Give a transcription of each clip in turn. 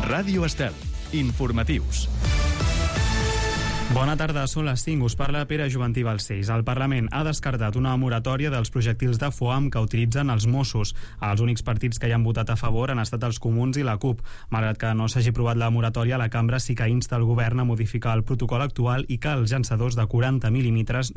Ràdio Estel. Informatius. Bona tarda, són les 5. Us parla Pere Juventí Balcells. El Parlament ha descartat una moratòria dels projectils de foam que utilitzen els Mossos. Els únics partits que hi han votat a favor han estat els Comuns i la CUP. Malgrat que no s'hagi aprovat la moratòria, la cambra sí que insta el govern a modificar el protocol actual i que els llançadors de 40 mil·límetres,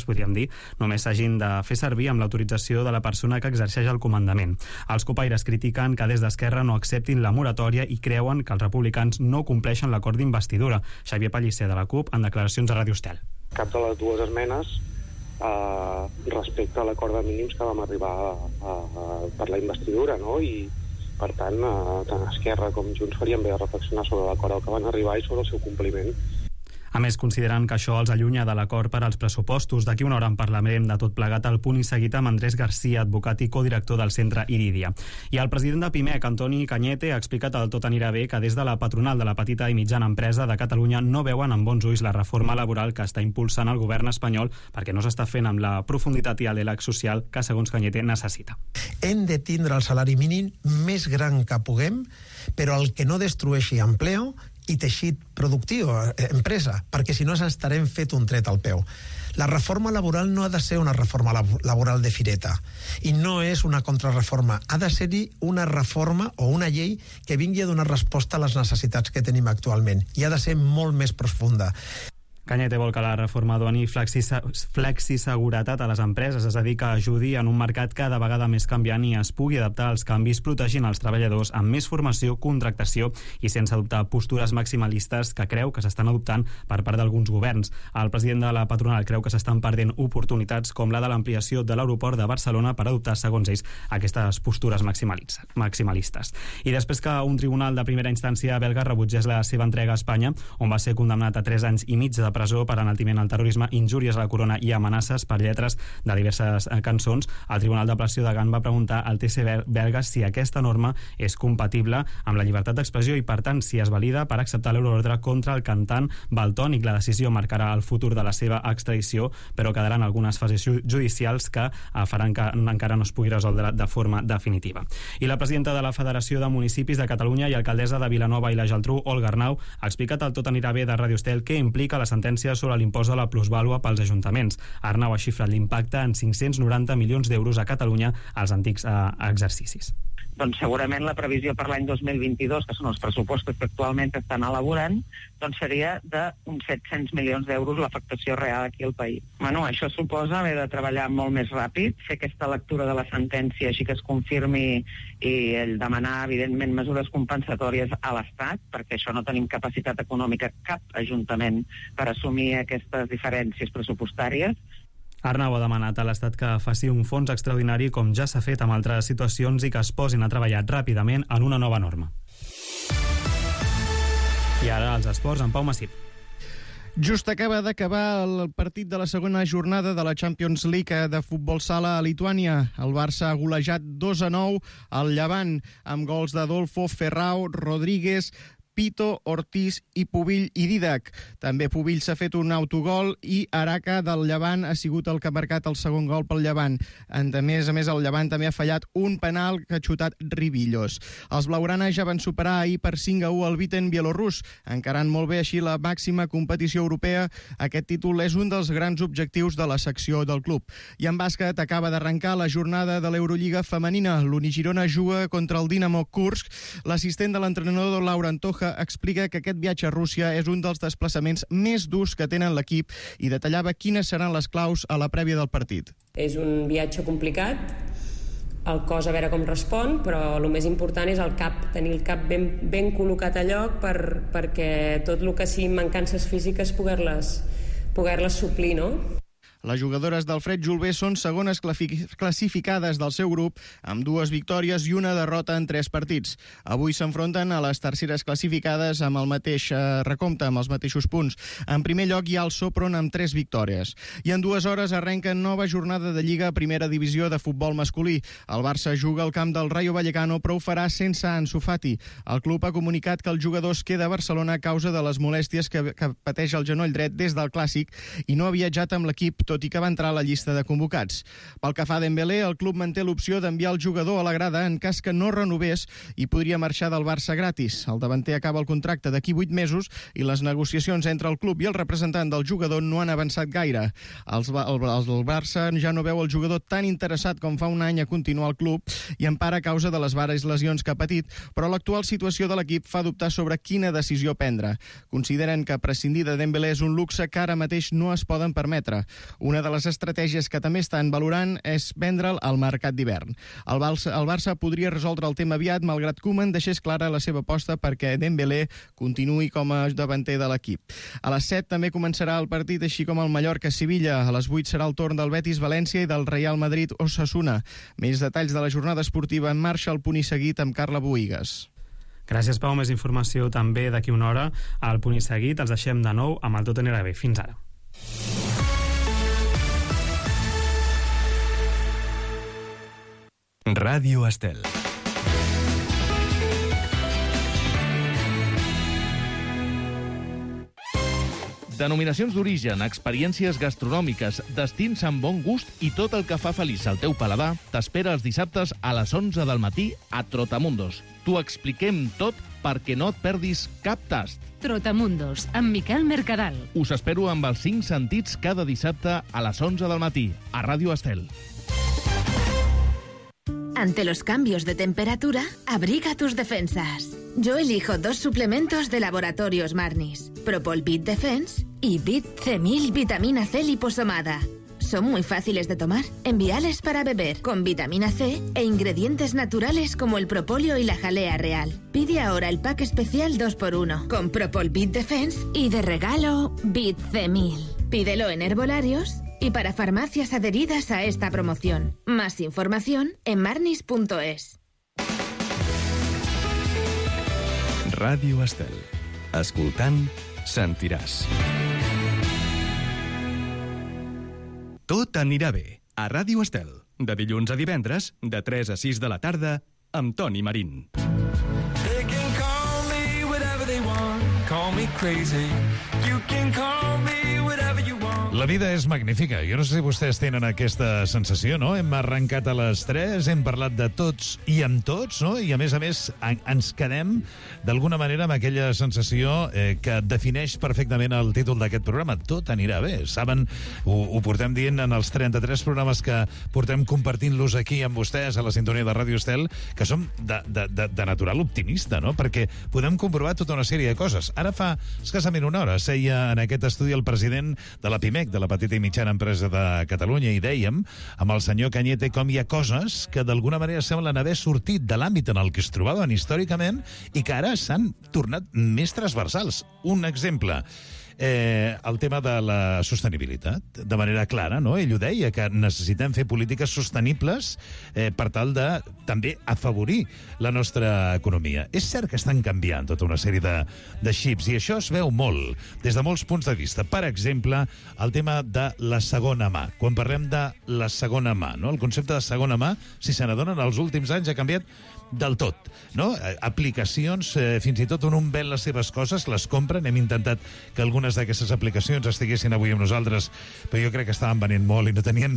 podríem dir, només s'hagin de fer servir amb l'autorització de la persona que exerceix el comandament. Els copaires critiquen que des d'Esquerra no acceptin la moratòria i creuen que els republicans no compleixen l'acord d'investidura. Xavier Pellicer, de la CUP, en declaracions a Ràdio Estel. Cap de les dues esmenes respecte a l'acord de mínims que vam arribar per la investidura, no? I per tant, tant Esquerra com Junts farien bé de reflexionar sobre l'acord al que van arribar i sobre el seu compliment. A més, consideren que això els allunya de l'acord per als pressupostos. D'aquí una hora en parlarem de tot plegat al punt i seguit amb Andrés Garcia, advocat i codirector del centre Iridia. I el president de Pimec, Antoni Cañete, ha explicat al Tot anirà bé que des de la patronal de la petita i mitjana empresa de Catalunya no veuen amb bons ulls la reforma laboral que està impulsant el govern espanyol perquè no s'està fent amb la profunditat i el diàleg social que, segons Cañete, necessita. Hem de tindre el salari mínim més gran que puguem, però el que no destrueixi empleo i teixit productiu, empresa, perquè si no estarem fet un tret al peu. La reforma laboral no ha de ser una reforma laboral de fireta i no és una contrarreforma, ha de ser-hi una reforma o una llei que vingui a donar resposta a les necessitats que tenim actualment i ha de ser molt més profunda. Cañete vol que la reforma doni flexiseguretat a les empreses, és a dir, que ajudi en un mercat cada vegada més canviant i es pugui adaptar als canvis protegint els treballadors amb més formació, contractació i sense adoptar postures maximalistes que creu que s'estan adoptant per part d'alguns governs. El president de la patronal creu que s'estan perdent oportunitats com la de l'ampliació de l'aeroport de Barcelona per adoptar, segons ells, aquestes postures maximalistes. I després que un tribunal de primera instància belga rebutgés la seva entrega a Espanya, on va ser condemnat a 3 anys i mig de presó per enaltiment al terrorisme, injúries a la corona i amenaces per lletres de diverses cançons, el Tribunal d'Apel·lació de Gant va preguntar al TC belga si aquesta norma és compatible amb la llibertat d'expressió i, per tant, si es valida per acceptar l'euroordre contra el cantant Valtònyc. La decisió marcarà el futur de la seva extradició, però quedaran algunes fases judicials que faran que encara no es pugui resoldre de forma definitiva. I la presidenta de la Federació de Municipis de Catalunya i alcaldessa de Vilanova i la Geltrú, Olga Arnau, ha explicat al Tot anirà bé de Ràdio Estel què implica la sentència sobre l'impost de la plusvàlua pels ajuntaments. Arnau ha xifrat l'impacte en 590 milions d'euros a Catalunya als antics exercicis. Doncs segurament la previsió per l'any 2022, que són els pressupostos que actualment estan elaborant, doncs seria d'uns 700 milions d'euros l'afectació real aquí al país. Bueno, això suposa haver de treballar molt més ràpid, fer aquesta lectura de la sentència així que es confirmi i el demanar, evidentment, mesures compensatòries a l'Estat, perquè això no tenim capacitat econòmica cap ajuntament per assumir aquestes diferències pressupostàries. Arnau ha demanat a l'Estat que faci un fons extraordinari com ja s'ha fet amb altres situacions i que es posin a treballar ràpidament en una nova norma. I ara els esports amb Pau Massip. Just acaba d'acabar el partit de la segona jornada de la Champions League de futbol sala a Lituània. El Barça ha golejat 2-9 al Llevant amb gols d'Adolfo, Ferrao, Rodríguez, Pito, Ortiz i Pubill i Didac. També Pubill s'ha fet un autogol i Araca del Llevant ha sigut el que ha marcat el segon gol pel Llevant. A més, el Llevant també ha fallat un penal que ha xutat Ribillos. Els blaugrana ja van superar ahir per 5-1 el Viten bielorrus, encarant molt bé així la màxima competició europea. Aquest títol és un dels grans objectius de la secció del club. I en bàsquet acaba d'arrencar la jornada de l'Eurolliga femenina. l'Unigirona juga contra el Dinamo Kursk. L'assistent de l'entrenador Laura Antoja explica que aquest viatge a Rússia és un dels desplaçaments més durs que tenen l'equip i detallava quines seran les claus a la prèvia del partit. És un viatge complicat, el cos a veure com respon, però el més important és el cap, tenir el cap ben col·locat a lloc perquè tot el que siguin mancances físiques poder-les suplir, no? Les jugadores del Fred Julbé són segones classificades del seu grup amb 2 victòries i una derrota en 3 partits. Avui s'enfronten a les terceres classificades amb el mateix recompte, amb els mateixos punts. En primer lloc hi ha el Sopron amb 3 victòries. I en 2 hores arrenca nova jornada de Lliga a Primera Divisió de futbol masculí. El Barça juga al camp del Rayo Vallecano, però ho farà sense Ansu Fati. El club ha comunicat que el jugador es queda a Barcelona a causa de les molèsties que pateix el genoll dret des del Clàssic i no ha viatjat amb l'equip, tot tot i que va entrar a la llista de convocats. Pel que fa a Dembélé, el club manté l'opció d'enviar el jugador a la grada en cas que no renovés i podria marxar del Barça gratis. El davanter acaba el contracte d'aquí 8 mesos i les negociacions entre el club i el representant del jugador no han avançat gaire. El Barça ja no veu el jugador tan interessat com fa un any a continuar al club i en part a causa de les vares lesions que ha patit, però l'actual situació de l'equip fa dubtar sobre quina decisió prendre. Consideren que prescindir de Dembélé és un luxe que ara mateix no es poden permetre. Una de les estratègies que també estan valorant és vendre'l al mercat d'hivern. El Barça podria resoldre el tema aviat, malgrat Koeman deixés clara la seva aposta perquè Dembélé continuï com a davanter de l'equip. A les 7 també començarà el partit, així com el Mallorca-Sevilla. A les 8 serà el torn del Betis-València i del Real Madrid-Osasuna. Més detalls de la jornada esportiva en marxa al Punt i Seguit amb Carla Boïgues. Gràcies, Pau. Més informació també d'aquí una hora al Punt i Seguit. Els deixem de nou amb el Tot anirà bé. Fins ara. Ràdio Estel. Denominacions d'origen, experiències gastronòmiques, destins amb bon gust i tot el que fa feliç al teu paladar t'espera els dissabtes a les 11 del matí a Trotamundos. T'ho expliquem tot perquè no et perdis cap tast. Trotamundos, amb Miquel Mercadal. Us espero amb els 5 sentits cada dissabte a les 11 del matí a Ràdio Estel. Ante los cambios de temperatura, abriga tus defensas. Yo elijo 2 suplementos de Laboratorios Marnis, Propol Bit Defense y Bit C1000 Vitamina C liposomada. Son muy fáciles de tomar, enviales para beber, con vitamina C e ingredientes naturales como el propóleo y la jalea real. Pide ahora el pack especial 2x1 con Propol Bit Defense y de regalo Bit C1000. Pídelo en herbolarios y para farmacias adheridas a esta promoción. Más información en marnis.es. Ràdio Estel. Escoltant, sentiràs. Tot anirà bé. A Ràdio Estel. De dilluns a divendres, de 3 a 6 de la tarda, amb Toni Marín. They can call me whatever they want. Call me crazy. You can call me whatever you want. La vida és magnífica. Jo no sé si vostès tenen aquesta sensació, no? Hem arrencat a les 3, hem parlat de tots i amb tots, no? I a més, ens quedem d'alguna manera amb aquella sensació que defineix perfectament el títol d'aquest programa. Tot anirà bé. Saben, ho portem dient en els 33 programes que portem compartint-los aquí amb vostès a la sintonia de Ràdio Estel, que som de natural optimista, no? Perquè podem comprovar tota una sèrie de coses. Ara fa escassament una hora seia en aquest estudi el president de la PIMEC, de la Petita i Mitjana Empresa de Catalunya, i dèiem amb el senyor Cañete com hi ha coses que d'alguna manera semblen haver sortit de l'àmbit en el que es trobaven històricament i que ara s'han tornat més transversals. Un exemple, el tema de la sostenibilitat, de manera clara, no? Ell ho deia, que necessitem fer polítiques sostenibles per tal de també afavorir la nostra economia. És cert que estan canviant tota una sèrie de xips, i això es veu molt, des de molts punts de vista. Per exemple, el tema de la segona mà. Quan parlem de la segona mà, no? El concepte de segona mà, si se n'adonen, els últims anys ha canviat del tot, no? Aplicacions, fins i tot on ven les seves coses, les compren. Hem intentat que algunes d'aquestes aplicacions estiguessin avui amb nosaltres, però jo crec que estaven venent molt i no tenien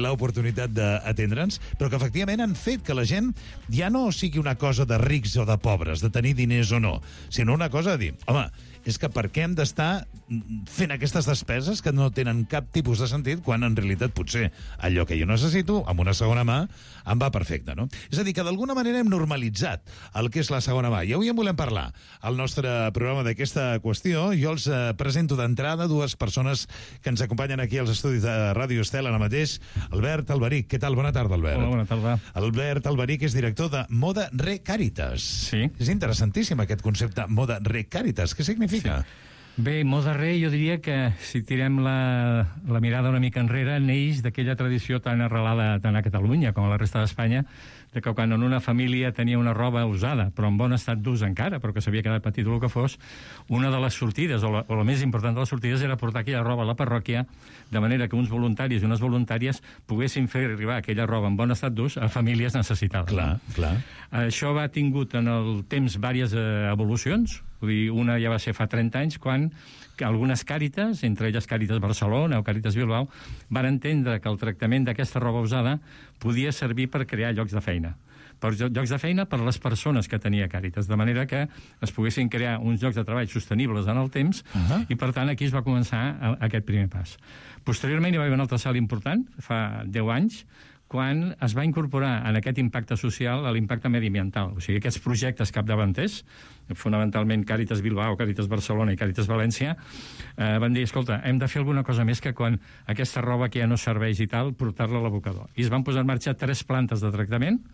l'oportunitat d'atendre'ns, però que efectivament han fet que la gent ja no sigui una cosa de rics o de pobres, de tenir diners o no, sinó una cosa de dir, home, és que per què hem d'estar fent aquestes despeses que no tenen cap tipus de sentit, quan en realitat potser allò que jo necessito, amb una segona mà, em va perfecte, no? És a dir, que d'alguna manera hem normalitzat el que és la segona mà. I avui en volem parlar al nostre programa d'aquesta qüestió. Jo els presento d'entrada 2 persones que ens acompanyen aquí als estudis de Ràdio Estel ara mateix. Albert Alberic. Què tal? Bona tarda, Albert. Hola, bona tarda. Albert Alberic és director de Moda Re Càritas. Sí. És interessantíssim aquest concepte, Moda Re Càritas. Què significa? Sí. Bé, Moda Re, jo diria que si tirem la mirada una mica enrere, neix d'aquella tradició tan arrelada tant a Catalunya com a la resta d'Espanya, de que quan en una família tenia una roba usada, però en bon estat d'ús encara, però que s'havia quedat petit o el que fos, una de les sortides, o la més important de les sortides, era portar aquella roba a la parròquia, de manera que uns voluntaris i unes voluntàries poguessin fer arribar aquella roba en bon estat d'ús a famílies necessitades. Clar, clar. Això ha tingut en el temps diverses evolucions. Vull dir, una ja va ser fa 30 anys, quan algunes Càritas, entre elles Càritas Barcelona o Càritas Bilbao, van entendre que el tractament d'aquesta roba usada podia servir per crear llocs de feina. Per llocs de feina per les persones que tenia Càritas, de manera que es poguessin crear uns llocs de treball sostenibles en el temps, i per tant aquí es va començar aquest primer pas. Posteriorment hi va haver un altre salt important, fa 10 anys, quan es va incorporar en aquest impacte social l'impacte mediambiental. O sigui, aquests projectes capdavanters, fonamentalment Càritas Bilbao, Càritas Barcelona i Càritas València, van dir, escolta, hem de fer alguna cosa més que quan aquesta roba que ja no serveix i tal, portar-la a l'abocador. I es van posar en marxa 3 plantes de tractament,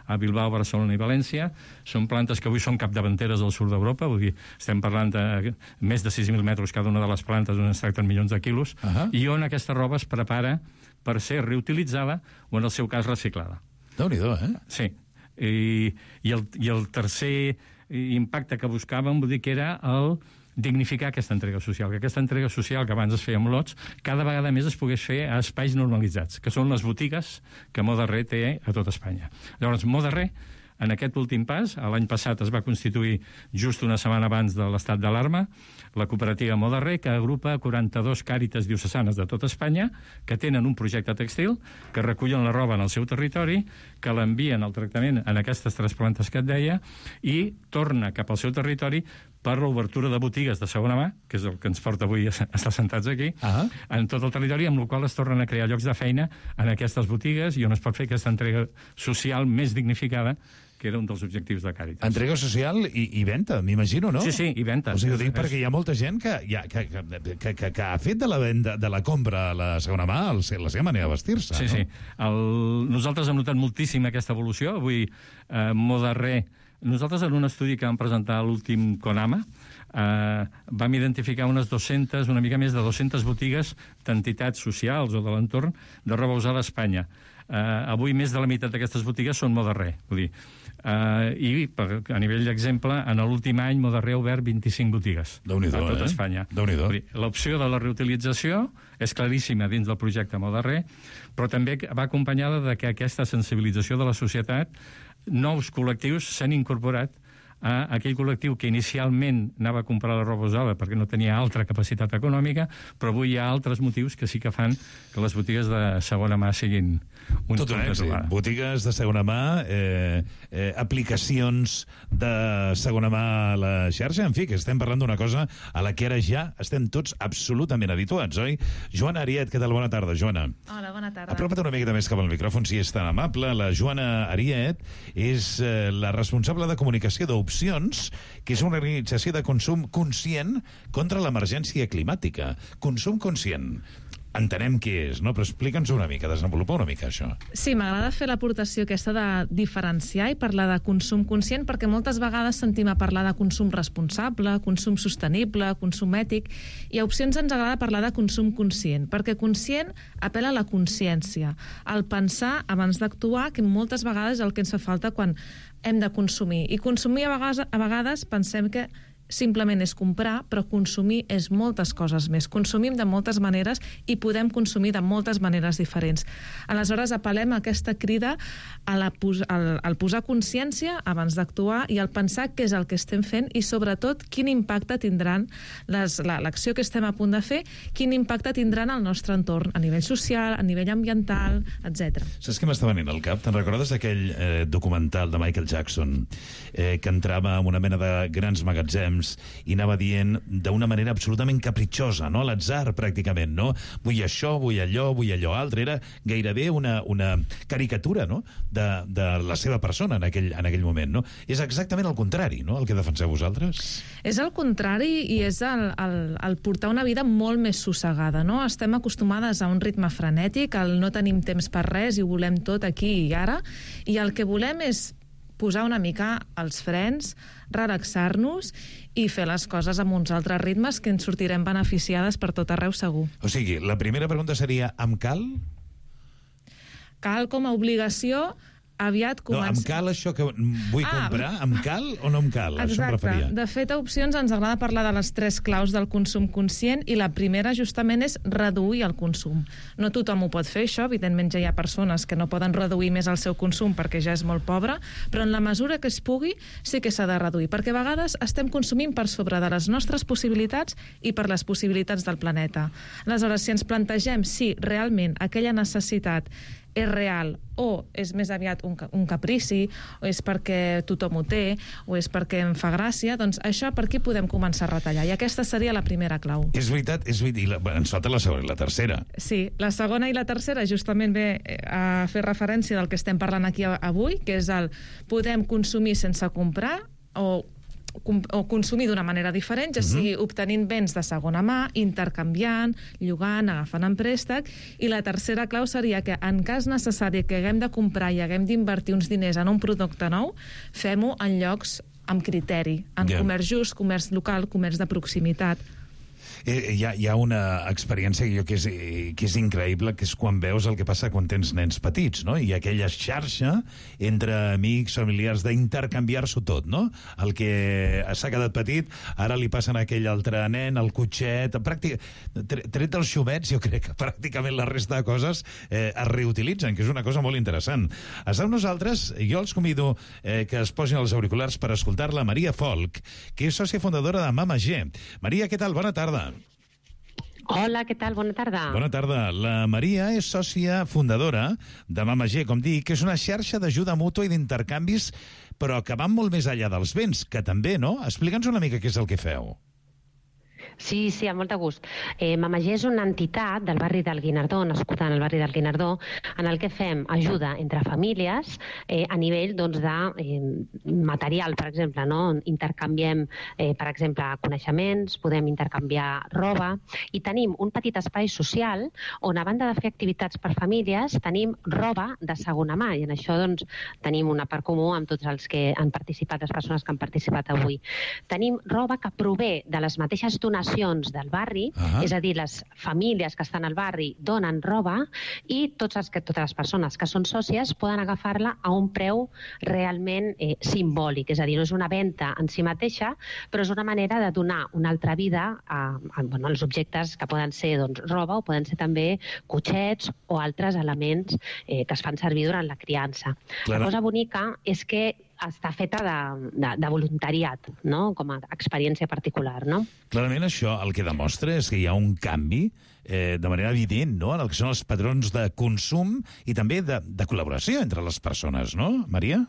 a Bilbao, Barcelona i València. Són plantes que avui són capdavanteres al sud d'Europa, vull dir, estem parlant de més de 6.000 metres cada una de les plantes, on es tracten milions de quilos, i on aquesta roba es prepara per ser reutilitzada o, en el seu cas, reciclada. Déu-n'hi-do, Sí. I el tercer impacte que buscàvem, vull dir que era el dignificar aquesta entrega social, que aquesta entrega social que abans es feia amb lots, cada vegada més es pogués fer a espais normalitzats, que són les botigues que Moda-Re té a tot Espanya. Llavors, Moda-Re, en aquest últim pas, l'any passat es va constituir just una setmana abans de l'estat d'alarma, la cooperativa Moda-Re, que agrupa 42 Càritas diocesanes de tot Espanya, que tenen un projecte tèxtil, que recullen la roba en el seu territori, que l'envien al tractament en aquestes 3 plantes que et deia, i torna cap al seu territori per l'obertura de botigues de segona mà, que és el que ens porta avui a estar sentats aquí, en tot el territori, amb el qual es tornen a crear llocs de feina en aquestes botigues i on es pot fer aquesta entrega social més dignificada, que era un dels objectius de Càritas. Entrega social i venda, m'imagino, no? Sí, i venda. O sigui, ho dic perquè hi ha molta gent que ha fet de la venda, de la compra a la segona mà la seva manera de vestir-se. Sí, sí. Nosaltres hem notat moltíssim aquesta evolució. Avui, Moda-Re, nosaltres en un estudi que vam presentar a l'últim CONAMA, vam identificar unes 200, una mica més de 200 botigues d'entitats socials o de l'entorn de roba usada a Espanya. Avui més de la meitat d'aquestes botigues són Moda-Re, vull dir. I a nivell d'exemple, en l'últim any Moda-Re ha obert 25 botigues a tot Espanya. L'opció de la reutilització és claríssima dins del projecte Moda-Re, però també va acompanyada de que aquesta sensibilització de la societat, nous col·lectius s'han incorporat a aquell col·lectiu que inicialment anava a comprar la roba usada perquè no tenia altra capacitat econòmica, però avui hi ha altres motius que sí que fan que les botigues de segona mà siguin un tot un èxit. Botigues de segona mà, aplicacions de segona mà a la xarxa, en fi, que estem parlant d'una cosa a la que ara ja estem tots absolutament habituats, oi? Joana Ariet, què tal? Bona tarda, Joana. Hola, bona tarda. Apropa't una miqueta més cap al micròfon, si és tan amable. La Joana Ariet és la responsable de comunicació d'Opcions, que és una organització de consum conscient contra l'emergència climàtica. Consum conscient. Entenem què és, no? Però explica'ns una mica, desenvolupa una mica això. Sí, m'agrada fer l'aportació aquesta de diferenciar i parlar de consum conscient, perquè moltes vegades sentim a parlar de consum responsable, consum sostenible, consum ètic, i a Opcions ens agrada parlar de consum conscient, perquè conscient apel·la a la consciència, al pensar abans d'actuar, que moltes vegades és el que ens fa falta quan hem de consumir. I consumir a vegades pensem que simplement és comprar, però consumir és moltes coses més. Consumim de moltes maneres i podem consumir de moltes maneres diferents. Aleshores, apel·lem a aquesta crida al posar consciència abans d'actuar i al pensar què és el que estem fent i, sobretot, quin impacte tindran l'acció que estem a punt de fer, quin impacte tindran al nostre entorn, a nivell social, a nivell ambiental, etc. Saps què m'està venint al cap? Te'n recordes d'aquell documental de Michael Jackson que entrava en una mena de grans magatzems i anava dient d'una manera absolutament capritxosa, no? A l'atzar, pràcticament, no? Vull això, vull allò altre. Era gairebé una caricatura, no?, de la seva persona en aquell moment, no? És exactament el contrari, no?, el que defenseu vosaltres. És el contrari i és el portar una vida molt més sossegada, no? Estem acostumades a un ritme frenètic, no tenim temps per res i ho volem tot aquí i ara, i el que volem és posar una mica els frens, relaxar-nos i fer les coses amb uns altres ritmes que ens sortirem beneficiades per tot arreu segur. O sigui, la primera pregunta seria, em cal? Cal com a obligació aviat comença... No, em cal això que vull comprar? Em cal o no em cal? Exacte. Això em referia. De fet, a Opcions ens agrada parlar de les 3 claus del consum conscient i la primera justament és reduir el consum. No tothom ho pot fer, això. Evidentment ja hi ha persones que no poden reduir més el seu consum perquè ja és molt pobre, però en la mesura que es pugui sí que s'ha de reduir, perquè a vegades estem consumint per sobre de les nostres possibilitats i per les possibilitats del planeta. Aleshores, si ens plantegem si realment aquella necessitat és real o és més aviat un caprici, o és perquè tothom ho té, o és perquè em fa gràcia, doncs això per aquí podem començar a retallar. I aquesta seria la primera clau. És veritat. Ens falta la segona i la tercera. Sí, la segona i la tercera justament ve a fer referència del que estem parlant aquí avui, que és el podem consumir sense comprar o consumir d'una manera diferent, ja sigui obtenint béns de segona mà, intercanviant, llogant, agafant en préstec, i la tercera clau seria que en cas necessari que haguem de comprar i haguem d'invertir uns diners en un producte nou, fem-ho en llocs amb criteri, en comerç just, comerç local, comerç de proximitat. Hi ha una experiència que és increïble, que és quan veus el que passa quan tens nens petits, no? I aquella xarxa entre amics, familiars, d'intercanviar-s'ho tot, no? El que s'ha quedat petit, ara li passen a aquell altre nen, el cotxet... Tret dels xumets, jo crec que pràcticament la resta de coses es reutilitzen, que és una cosa molt interessant. Esteu nosaltres, jo els convido que es posin els auriculars per escoltar la Maria Folk, que és sòcia fundadora de Mama G. Maria, què tal? Bona tarda. Hola, què tal? Bona tarda. Bona tarda. La Maria és sòcia fundadora de Mama G, com dic, que és una xarxa d'ajuda mútua i d'intercanvis, però que van molt més enllà dels béns, que també, no? Explica'ns una mica què és el que feu. Sí, amb molt de gust. Mama G és una entitat del barri del Guinardó, nascuda en el barri del Guinardó, en el que fem ajuda entre famílies a nivell de material, per exemple, no? Intercanviem, per exemple, coneixements, podem intercanviar roba, i tenim un petit espai social on, a banda de fer activitats per famílies, tenim roba de segona mà, i en això tenim una part comú amb tots els que han participat, les persones que han participat avui. Tenim roba que prové de les mateixes donacions del barri, és a dir, les famílies que estan al barri donen roba i totes les persones que són sòcies poden agafar-la a un preu realment simbòlic, és a dir, no és una venda en si mateixa, però és una manera de donar una altra vida als objectes que poden ser roba o poden ser també cotxets o altres elements que es fan servir durant la criança. La cosa bonica és que està feta de voluntariat, no? Com a experiència particular, no? Clarament això el que demostra és que hi ha un canvi de manera evident, no?, en el que són els patrons de consum i també de col·laboració entre les persones, no, Maria?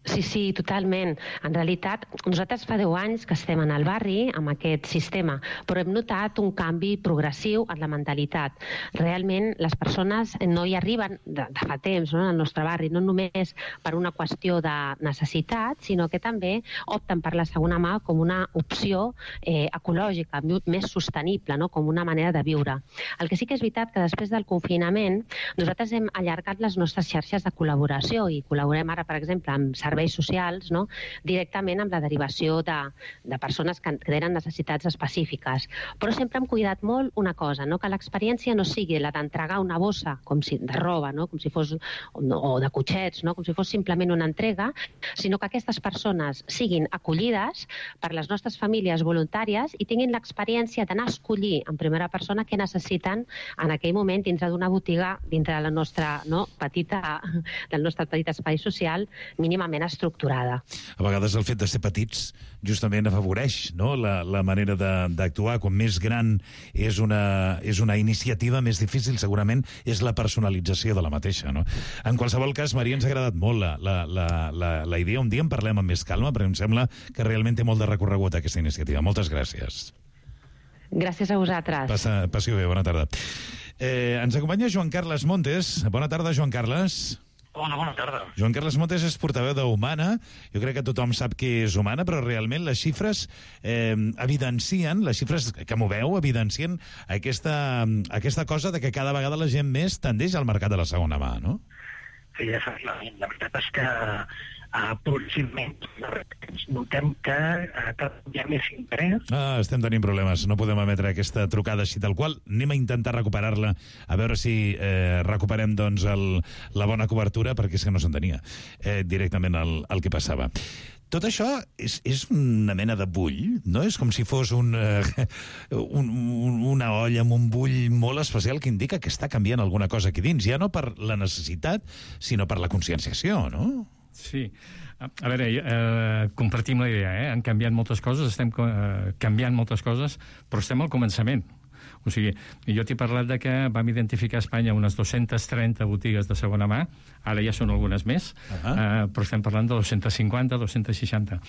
Sí, totalment. En realitat, nosaltres fa 10 anys que estem en el barri amb aquest sistema, però hem notat un canvi progressiu en la mentalitat. Realment, les persones no hi arriben de fa temps, no?, en el nostre barri, no només per una qüestió de necessitat, sinó que també opten per la segona mà com una opció ecològica, més sostenible, no?, com una manera de viure. El que sí que és veritat que després del confinament nosaltres hem allargat les nostres xarxes de col·laboració i col·laborem ara, per exemple, amb serveis socials, no?, directament amb la derivació de persones que tenen necessitats específiques. Però sempre hem cuidat molt una cosa, no?, que l'experiència no sigui la d'entregar una bossa de roba, no?, com si fos, o de cotxets, no?, com si fos simplement una entrega, sinó que aquestes persones siguin acollides per les nostres famílies voluntàries i tinguin l'experiència d'anar a escollir en primera persona què necessiten en aquell moment dintre d'una botiga, dintre de la nostra, no?, del nostre petit espai social mínimament estructurada. A vegades el fet de ser petits justament afavoreix, no?, la manera d'actuar. Quan més gran és una iniciativa, més difícil segurament és la personalització de la mateixa, no? En qualsevol cas, Maria, ens ha agradat molt la idea. Un dia en parlem amb més calma, perquè em sembla que realment té molt de recorregut aquesta iniciativa. Moltes gràcies. Gràcies a vosaltres. Passi-ho bé, bona tarda. Ens acompanya Joan Carles Montes. Bona tarda, Joan Carles. Hola, bona tarda. Joan Carles Montes és portaveu d'Humana. Jo crec que tothom sap què és Humana, però realment les xifres evidencien, les xifres que moveu evidencien aquesta cosa de que cada vegada la gent més tendeix al mercat de la segona mà, no? Sí, efectivament. La veritat és que Aproximadament notem que hi ha més interès. Estem tenint problemes, no podem emetre aquesta trucada així tal qual. Anem a intentar recuperar-la, a veure si recuperem doncs la bona cobertura, perquè és que no s'entenia directament el que passava. Tot això és una mena de bull, no? És com si fos una olla amb un bull molt especial que indica que està canviant alguna cosa aquí dins, ja no per la necessitat, sinó per la conscienciació, no? Sí. A veure, compartim la idea, han canviat moltes coses, estem canviant moltes coses, però estem al començament. O sigui, jo t'he parlat de que vam identificar a Espanya unes 230 botigues de segona mà, ara ja són algunes més, però estem parlant de 250, 260.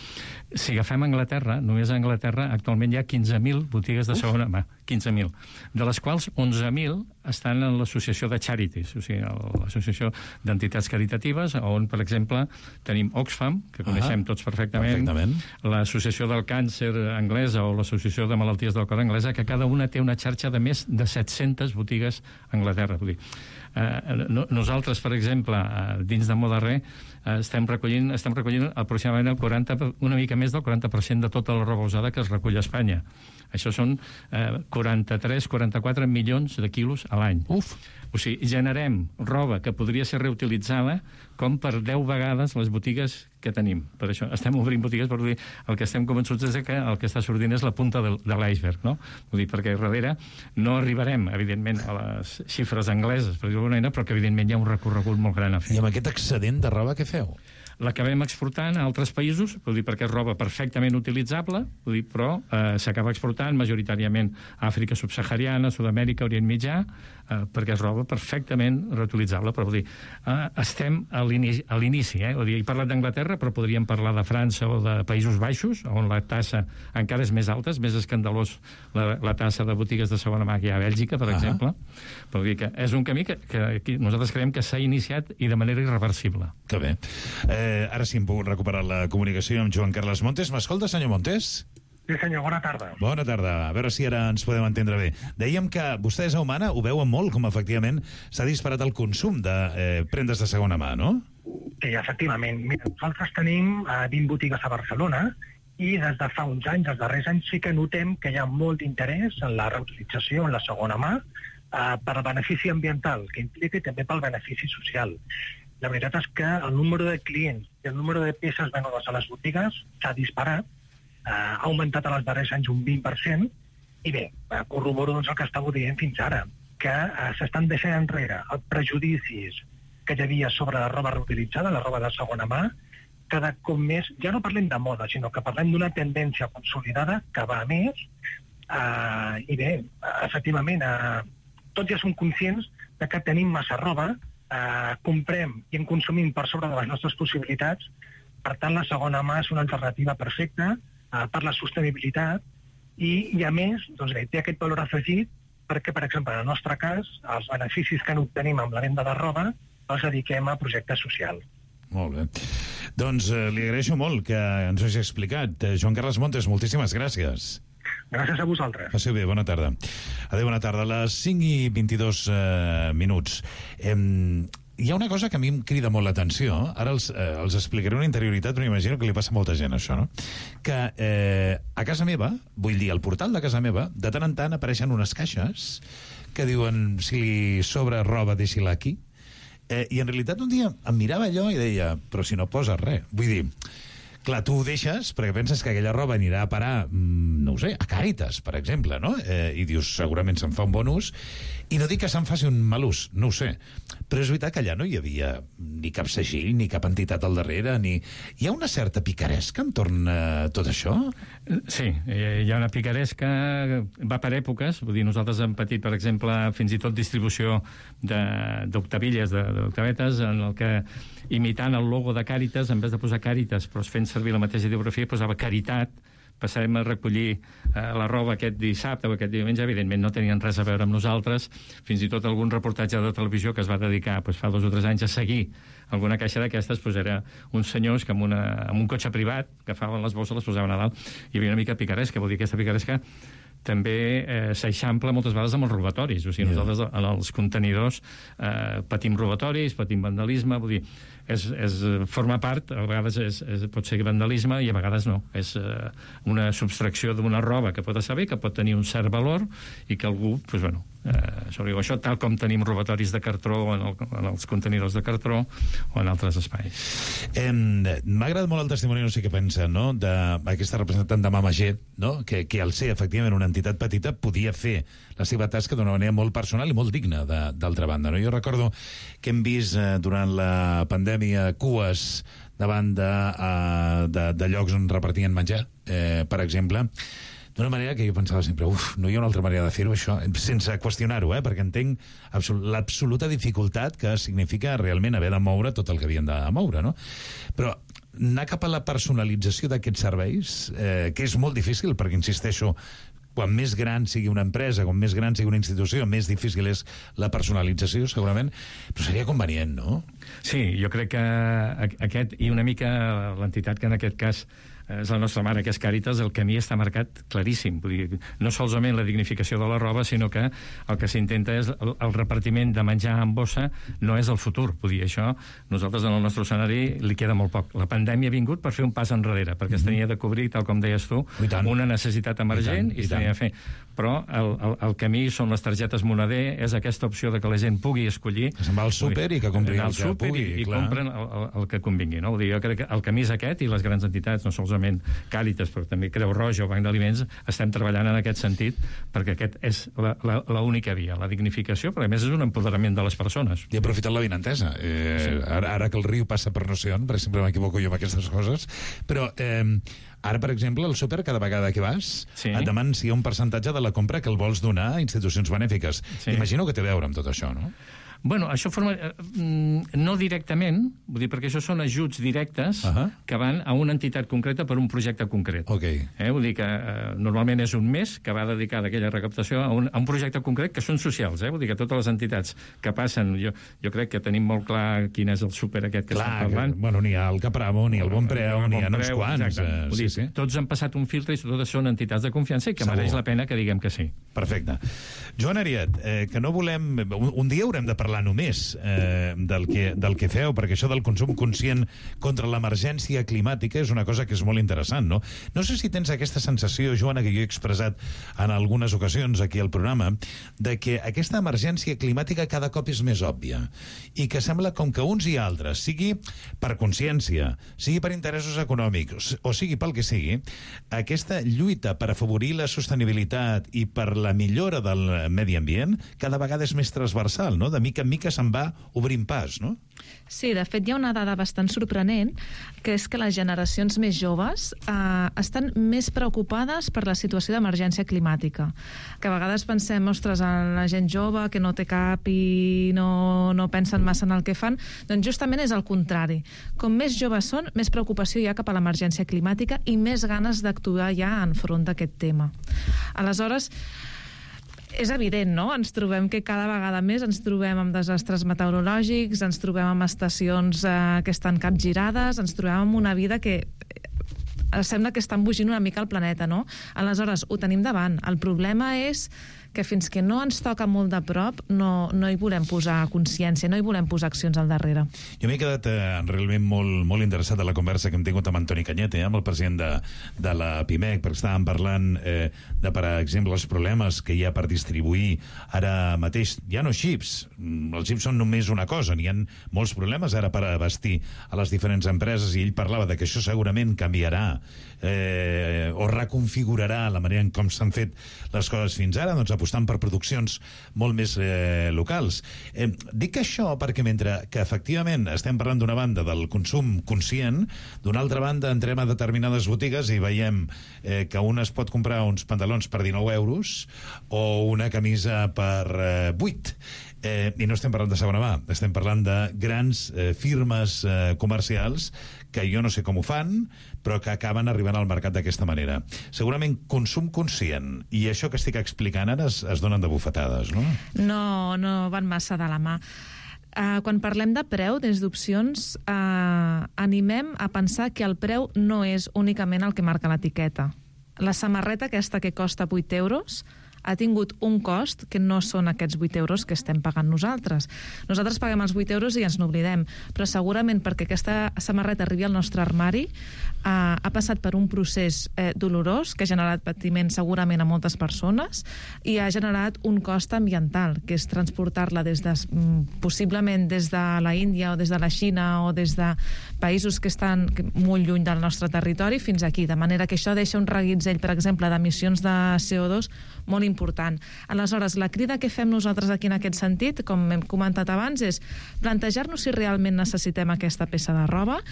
Si agafem Anglaterra, només a Anglaterra actualment hi ha 15.000 botigues de segona mà, 15.000, de les quals 11.000 estan en l'associació de Charities, o sigui, l'associació d'entitats caritatives, on, per exemple, tenim Oxfam, que coneixem tots perfectament, l'associació del càncer anglesa o l'associació de malalties del cor anglesa, que cada una té una xarxa de més de 700 botigues a Anglaterra. Vull dir, nosaltres, per exemple, dins de Modarrer, estem recollint aproximadament una mica més del 40% de tota la roba usada que es recull a Espanya. Això són 43-44 milions de quilos a l'any. O sigui, generem roba que podria ser reutilitzada com per 10 vegades les botigues que tenim. Per això estem obrint botigues, per dir, el que estem convençuts és que el que està sortint és la punta de l'iceberg, no? Vull dir, perquè darrere no arribarem, evidentment, a les xifres angleses, per dir-ho d'alguna manera, però que, evidentment, hi ha un recorregut molt gran a fer. I amb aquest excedent de roba, què feu? L'acabem exportant a altres països, vull dir, perquè és roba perfectament utilitzable, vull dir, però s'acaba exportant majoritàriament a Àfrica subsahariana, Sud-amèrica, Orient Mitjà, perquè és roba perfectament reutilitzable. Però vull dir, estem a l'inici. Vull dir, he parlat d'Anglaterra, però podríem parlar de França o de Països Baixos, on la tassa encara és més alta, és més escandalós la tassa de botigues de segona mà que hi ha a Bèlgica, per exemple. Però vull dir que és un camí que nosaltres creiem que s'ha iniciat i de manera irreversible. Que bé. Ara sí hem pogut recuperar la comunicació amb Joan Carles Montes. M'escolta, senyor Montes? Sí, senyor, bona tarda. Bona tarda. A veure si ara ens podem entendre bé. Dèiem que vostès a Humana ho veuen molt, com efectivament s'ha disparat el consum de prendes de segona mà, no? Sí, efectivament. Mira, nosaltres tenim 20 botigues a Barcelona i des de fa uns anys, els darrers anys, sí que notem que hi ha molt d'interès en la reutilització, en la segona mà, per al benefici ambiental que implica i també pel benefici social. La veritat és que el número de clients i el número de peces venudes a les botigues s'ha disparat, ha augmentat en els darrers anys un 20%, i bé, corroboro doncs el que estava dient fins ara, que s'estan deixant enrere els prejudicis que hi havia sobre la roba reutilitzada, la roba de segona mà, cada cop més, ja no parlem de moda, sinó que parlem d'una tendència consolidada que va a més, i bé, efectivament, tots ja som conscients de que tenim massa roba, comprem i en consumim per sobre de les nostres possibilitats, per tant la segona mà és una alternativa perfecta per la sostenibilitat i a més, doncs bé, té aquest valor afegit perquè, per exemple, en el nostre cas, els beneficis que n'obtenim amb la venda de roba els dediquem a projectes socials. Molt bé. Doncs li agraeixo molt que ens ho hagi explicat. Joan Carles Montes, moltíssimes gràcies. Gràcies a vosaltres. Passeu bé, bona tarda. Adéu, bona tarda. A les 5:22 minuts. Hi ha una cosa que a mi em crida molt l'atenció. Ara els explicaré una interioritat, però m'imagino que li passa a molta gent, això, no? Que a casa meva, vull dir, al portal de casa meva, de tant en tant apareixen unes caixes que diuen, si li sobra roba, deixi-la aquí. I en realitat un dia em mirava allò i deia, però si no poses res. Vull dir, clar, tu ho deixes perquè penses que aquella roba anirà a parar, no ho sé, a Càritas, per exemple, no? I dius, segurament se'n fa un bon ús, i no dic que se'n faci un mal ús, no ho sé, però és veritat que allà no hi havia ni cap segill, ni cap entitat al darrere, ni... Hi ha una certa picaresca entorn a tot això? Sí, hi ha una picaresca, va per èpoques, vull dir, nosaltres hem patit, per exemple, fins i tot distribució d'octavilles, d'octavetes, en el que, imitant el logo de Càritas, en vez de posar Càritas, però fent servir la mateixa ideografia, posava Caritat, passarem a recollir la roba aquest dissabte o aquest diumenge, evidentment no tenien res a veure amb nosaltres, fins i tot algun reportatge de televisió que es va dedicar fa 2 o 3 anys a seguir alguna caixa d'aquestes, era uns senyors que amb un cotxe privat agafaven les bosses, les posaven a dalt, hi havia una mica picaresca, vol dir, aquesta picaresca també s'eixampla moltes vegades amb els robatoris. O sigui, nosaltres en els contenidors patim robatoris, patim vandalisme, vull dir, forma part, a vegades pot ser vandalisme i a vegades no. És una subtracció d'una roba que pot estar bé, que pot tenir un cert valor i que algú, doncs, bueno, això, tal com tenim robatoris de cartró en els contenidors de cartró o en altres espais. M'ha agradat molt el testimoni, no sé què pensa, no?, d'aquesta representant de Mama G, no?, que al ser efectivament una entitat petita podia fer la seva tasca d'una manera molt personal i molt digna, d'altra banda, no? Jo recordo que hem vist durant la pandèmia cues davant de llocs on repartien menjar, per exemple, d'una manera que jo pensava sempre, no hi ha una altra manera de fer-ho, això, sense qüestionar-ho, perquè entenc l'absoluta dificultat que significa realment haver de moure tot el que havien de moure, no? Però anar cap a la personalització d'aquests serveis, que és molt difícil, perquè, insisteixo, quan més gran sigui una empresa, quan més gran sigui una institució, més difícil és la personalització, segurament, però seria convenient, no? Sí, jo crec que aquest, i una mica l'entitat que en aquest cas és la nostra mare, que és Càritas, el camí està marcat claríssim. Vull dir, no solament la dignificació de la roba, sinó que el que s'intenta és el repartiment de menjar en bossa no és el futur. Vull dir, això, nosaltres en el nostre escenari li queda molt poc. La pandèmia ha vingut per fer un pas enrere, perquè es tenia de cobrir, tal com deies tu, una necessitat emergent i es tenia de fer. Però el camí són les targetes moneder, és aquesta opció de que la gent pugui escollir. Que se'n va al súper i que compri el que pugui. I compren el que convingui. No? Vull dir, jo crec que el camí és aquest i les grans entitats, no solament Càritas, però també Creu Roja o Banc d'Aliments, estem treballant en aquest sentit perquè aquest és l'única via, la dignificació, però a més és un empoderament de les persones. I aprofitant la vinentesa. Ara que el riu passa per no sé on, perquè sempre m'equivoco jo amb aquestes coses, però ara, per exemple, al súper, cada vegada que vas, et demanen si hi ha un percentatge de la compra que el vols donar a institucions benèfiques. Imagino que té a veure amb tot això, no? Bueno, això forma... no directament, vull dir, perquè això són ajuts directes que van a una entitat concreta per un projecte concret. Vull dir que normalment és un mes que va dedicar d'aquella recaptació a un projecte concret que són socials. Vull dir que totes les entitats que passen... Jo crec que tenim molt clar quin és el súper aquest que estem parlant. Bueno, n'hi ha el Capramo, n'hi ha el Bon Preu, n'hi ha uns quants. Tots han passat un filtre i totes són entitats de confiança i que mereix la pena que diguem que sí. Perfecte. Joan Ariet, que no volem... Un dia haurem de parlar només del que feu, perquè això del consum conscient contra l'emergència climàtica és una cosa que és molt interessant, no? No sé si tens aquesta sensació, Joana, que jo he expressat en algunes ocasions aquí al programa, de que aquesta emergència climàtica cada cop és més òbvia i que sembla com que uns i altres, sigui per consciència, sigui per interessos econòmics o sigui pel que sigui, aquesta lluita per afavorir la sostenibilitat i per la millora del medi ambient cada vegada és més transversal, no? De mica en mica se'n va obrint pas, no? Sí, de fet hi ha una dada bastant sorprenent, que és que les generacions més joves estan més preocupades per la situació d'emergència climàtica. Que a vegades pensem, ostres, en la gent jove que no té cap i no pensen massa en el que fan, doncs justament és el contrari. Com més joves són, més preocupació hi ha cap a l'emergència climàtica i més ganes d'actuar ja enfront d'aquest tema. Aleshores, és evident, no? Ens trobem que cada vegada més ens trobem amb desastres meteorològics, ens trobem amb estacions que estan capgirades, ens trobem amb una vida que sembla que està embogint una mica el planeta, no? Aleshores, ho tenim davant. El problema és que fins que no ens toca molt de prop no hi volem posar consciència, no hi volem posar accions al darrere. Jo m'he quedat realment molt interessat en la conversa que hem tingut amb Antoni Cañete, amb el president de la PIMEC, perquè estàvem parlant de, per exemple, els problemes que hi ha per distribuir ara mateix. Ja no xips, els xips són només una cosa, n'hi ha molts problemes ara per abastir a les diferents empreses i ell parlava de que això segurament canviarà o reconfigurarà la manera en com s'han fet les coses fins ara, doncs apostant per produccions molt més locals. Dic això perquè mentre que efectivament estem parlant d'una banda del consum conscient, d'una altra banda entrem a determinades botigues i veiem que un es pot comprar uns pantalons per 19 euros o una camisa per 8. I no estem parlant de segona mà, estem parlant de grans firmes comercials que jo no sé com ho fan, però que acaben arribant al mercat d'aquesta manera. Segurament consum conscient i això que estic explicant ara es donen de bufetades, no? No van massa de la mà. Quan parlem de preu, des d'opcions, animem a pensar que el preu no és únicament el que marca l'etiqueta. la samarreta aquesta que costa 8 euros ha tingut un cost que no són aquests 8 euros que estem pagant nosaltres. Nosaltres paguem els 8 euros i ens n'oblidem, però segurament perquè aquesta samarreta arribi al nostre armari ha passat per un procés dolorós que ha generat patiment segurament a moltes persones i ha generat un cost ambiental, que és transportar-la possiblement des de la Índia o des de la Xina o des de països que estan molt lluny del nostre territori fins aquí, de manera que això deixa un reguitzell, per exemple, d'emissions de CO2 molt important. Aleshores, la crida que fem nosaltres aquí en aquest sentit, com hem comentat abans, és plantejar-nos si realment necessitem aquesta peça de roba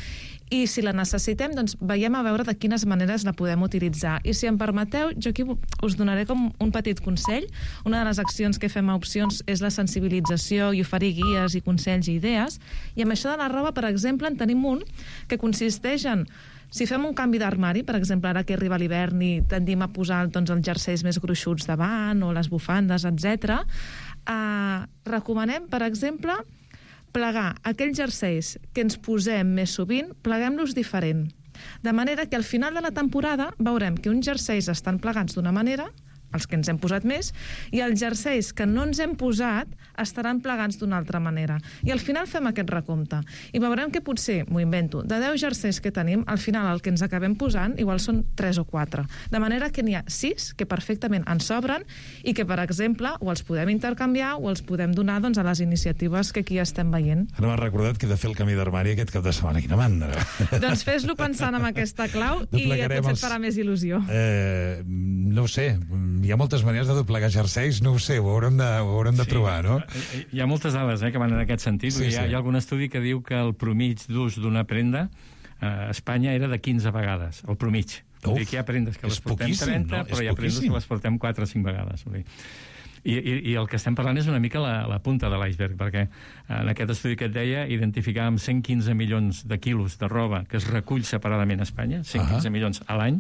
i si la necessitem, doncs veiem a veure de quines maneres la podem utilitzar. I si em permeteu, jo aquí us donaré com un petit consell. Una de les accions que fem a Opcions és la sensibilització i oferir guies i consells i idees. I amb això de la roba, per exemple, en tenim un que consisteix en si fem un canvi d'armari, per exemple, ara que arriba l'hivern i tendim a posar doncs, els jerseis més gruixuts davant o les bufandes, etc., recomanem, per exemple, plegar aquells jerseis que ens posem més sovint, pleguem-los diferent. De manera que al final de la temporada veurem que uns jerseis estan plegats d'una manera, els que ens hem posat més, i els jerseis que no ens hem posat estaran plegats d'una altra manera. I al final fem aquest recompte. I veurem que potser, m'ho invento, de 10 jerseis que tenim, al final el que ens acabem posant igual són 3 o 4. De manera que n'hi ha 6 que perfectament ens sobren i que, per exemple, o els podem intercanviar o els podem donar doncs, a les iniciatives que aquí estem veient. Ara m'ha recordat que he de fer el canvi d'armari aquest cap de setmana. Quina mandra! Doncs fes-lo pensant en aquesta clau i potser et farà més il·lusió. No ho sé, hi ha moltes maneres de doblegar jerseis, no ho sé, ho haurem de provar, no? Hi ha moltes dades que van en aquest sentit. Sí, hi ha algun estudi que diu que el promig d'ús d'una prenda a Espanya era de 15 vegades, el promig. Vull dir que hi ha prendes que les portem 30, però hi ha prendes que les portem 4 o 5 vegades. I el que estem parlant és una mica la punta de l'iceberg, perquè en aquest estudi que et deia identificàvem 115 milions de quilos de roba que es recull separadament a Espanya, 115 milions a l'any,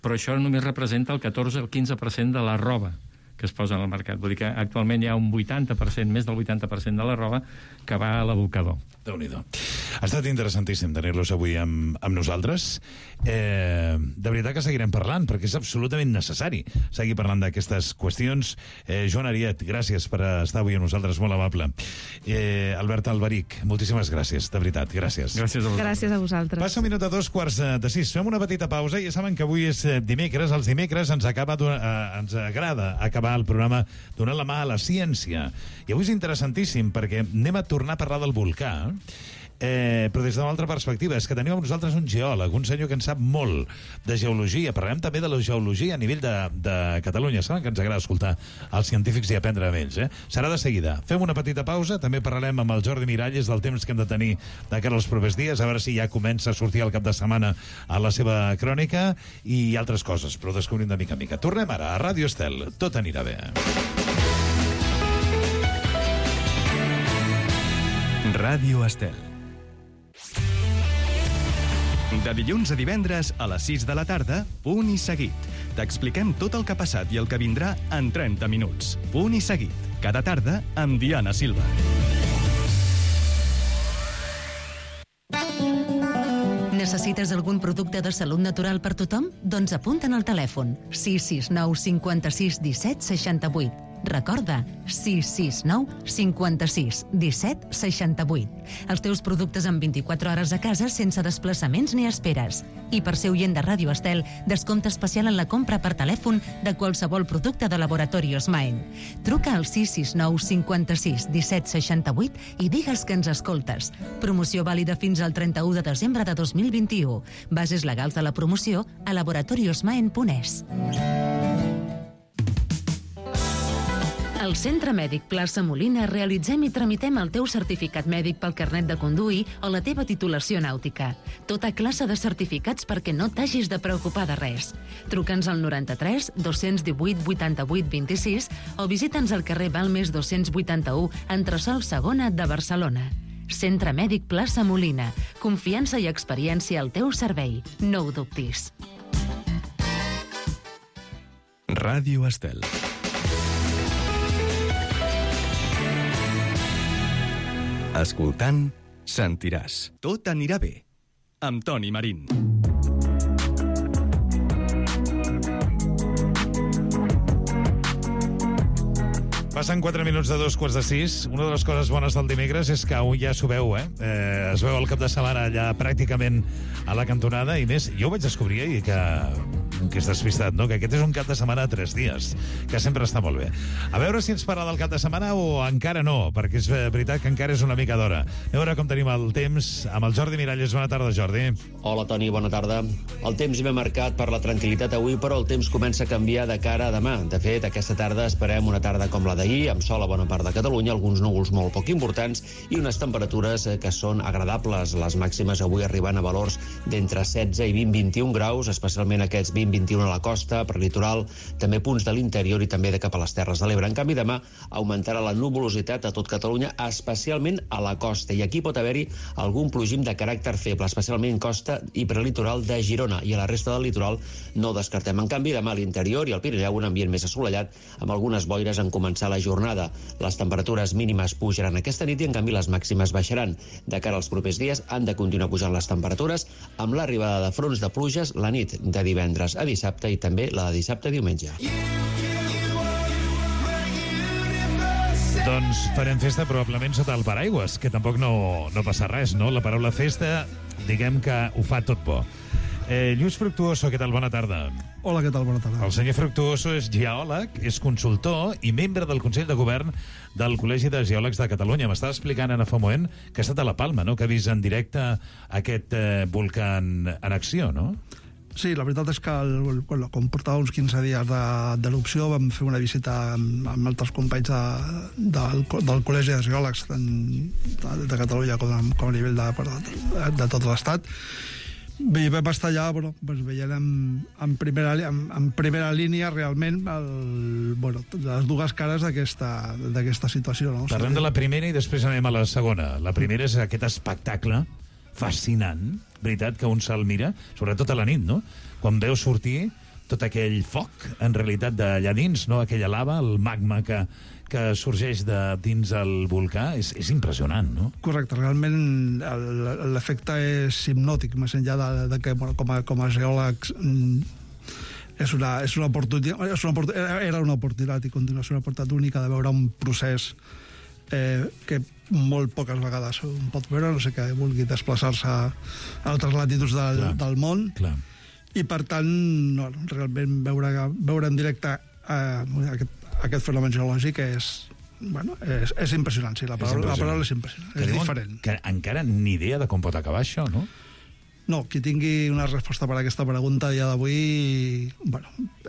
però això només representa el 14 o el 15% de la roba que es posa en el mercat. Vull dir que actualment hi ha un 80%, més del 80% de la roba que va a l'abocador. Déu-n'hi-do. Ha estat interessantíssim tenir-los avui amb nosaltres. De veritat que seguirem parlant, perquè és absolutament necessari seguir parlant d'aquestes qüestions. Joan Ariet, gràcies per estar avui amb nosaltres, molt amable. Albert Alberic, moltíssimes gràcies, de veritat, gràcies. Gràcies a vosaltres. Passa un minut a 2:45. Fem una petita pausa. Ja saben que avui és dimecres. Els dimecres ens agrada acabar el programa donant la mà a la ciència. I avui és interessantíssim perquè anem a tornar a parlar del volcà, però des d'una altra perspectiva. És que tenim amb nosaltres un geòleg, un senyor que en sap molt de geologia. Parlarem també de la geologia a nivell de Catalunya. Saben que ens agrada escoltar els científics i aprendre d'ells. Serà de seguida. Fem una petita pausa, també parlarem amb el Jordi Miralles del temps que hem de tenir de cara als propers dies, a veure si ja comença a sortir el cap de setmana a la seva crònica i altres coses, però descobrim de mica en mica. Tornem ara a Ràdio Estel. Tot anirà bé. Ràdio Estel. De dilluns a divendres a les 6 de la tarda, Punt i Seguit. T'expliquem tot el que ha passat i el que vindrà en 30 minuts. Punt i Seguit. Cada tarda amb Diana Silva. Necessites algun producte de salut natural per tothom? Doncs apunta'n al telèfon 669 56 17 68. Recorda, 669 56 17 68. Els teus productes en 24 hores a casa sense desplaçaments ni esperes. I per ser oient de Ràdio Estel, descompte especial en la compra per telèfon de qualsevol producte de Laboratorios Maen. Truca al 669 56 17 68 i digues que ens escoltes. Promoció vàlida fins al 31 de desembre de 2021. Bases legals de la promoció a laboratoriosmaen.es. Al Centre Mèdic Plaça Molina realitzem i tramitem el teu certificat mèdic pel carnet de conduir o la teva titulació nàutica. Tota classe de certificats perquè no t'hagis de preocupar de res. Truca'ns al 93 218 88 26 o visita'ns al carrer Balmes 281, entresòl Segona de Barcelona. Centre Mèdic Plaça Molina. Confiança i experiència al teu servei. No ho dubtis. Ràdio Estel. Escoltant, sentiràs. Tot anirà bé. Amb Toni Marín. Passen 4 minuts de 2:45. Una de les coses bones del dimecres és que ja s'ho veu, es veu el cap de setmana allà pràcticament a la cantonada, i més, jo ho vaig descobrir ahir, que és despistat, no? Que aquest és un cap de setmana de 3 dies, que sempre està molt bé. A veure si ens parla del cap de setmana o encara no, perquè és veritat que encara és una mica d'hora. A veure com tenim el temps amb el Jordi Miralles. Bona tarda, Jordi. Hola, Toni, bona tarda. El temps ve marcat per la tranquil·litat avui, però el temps comença a canviar de cara a demà. De fet, aquesta tarda esperem una tarda com la d'ahir, amb sol a bona part de Catalunya, alguns núvols molt poc importants i unes temperatures que són agradables. Les màximes avui arribant a valors d'entre 16 i 20-21 graus, especialment aquests 20-21 a la costa, per litoral, també punts de l'interior i també de cap a les Terres de l'Ebre. En canvi, demà augmentarà la nuvolositat a tot Catalunya, especialment a la costa, i aquí pot haver-hi algun plogim de caràcter feble, especialment costa i prelitoral de Girona, i a la resta del litoral no ho descartem. En canvi, demà a l'interior i al Pirineu un ambient més assolellat, amb algunes boires en començar la jornada. Les temperatures mínimes pujaran aquesta nit i en canvi les màximes baixaran. De cara als propers dies han de continuar pujant les temperatures amb l'arribada de fronts de pluges la nit de divendres a dissabte i també la de dissabte a diumenge. Doncs farem festa probablement sota el paraigües, que tampoc no passa res, no? La paraula festa, diguem que ho fa tot bo. Lluís Fructuoso, què tal? Bona tarda. Hola, què tal? Bona tarda. El senyor Fructuoso és geòleg, és consultor i membre del Consell de Govern del Col·legi de Geòlegs de Catalunya. M'estava explicant ara fa un moment que ha estat a la Palma, no? Que ha vist en directe aquest volcà en acció, no? Sí, la veritat és que com portava uns 15 dies d'erupció vam fer una visita amb altres companys del Col·legi de Geòlegs tant de Catalunya com a nivell de tot l'Estat. Bé, vam estar allà, veient en primera línia realment les dues cares d'aquesta situació. No? Parlem de la primera i després anem a la segona. La primera és aquest espectacle fascinant, veritat, que un se'l mira, sobretot a la nit, no? Quan veu sortir tot aquell foc, en realitat, d'allà dins, no? Aquella lava, el magma que sorgeix de dins el volcà, és impressionant, no? Correcte, realment l'efecte és hipnòtic, més enllà de que com a geòlegs era una oportunitat i continua sent una oportunitat única de veure un procés que molt poques vegades un pot veure, no sé que vulgui desplaçar-se a altres latituds del món. Clar. I per tant, realment veure en directe aquest fenomen geològic és impressionant, sí, la paraula és impressionant, és diferent. Que encara ni idea de com pot acabar això, no? No, qui tingui una resposta per a aquesta pregunta a dia d'avui,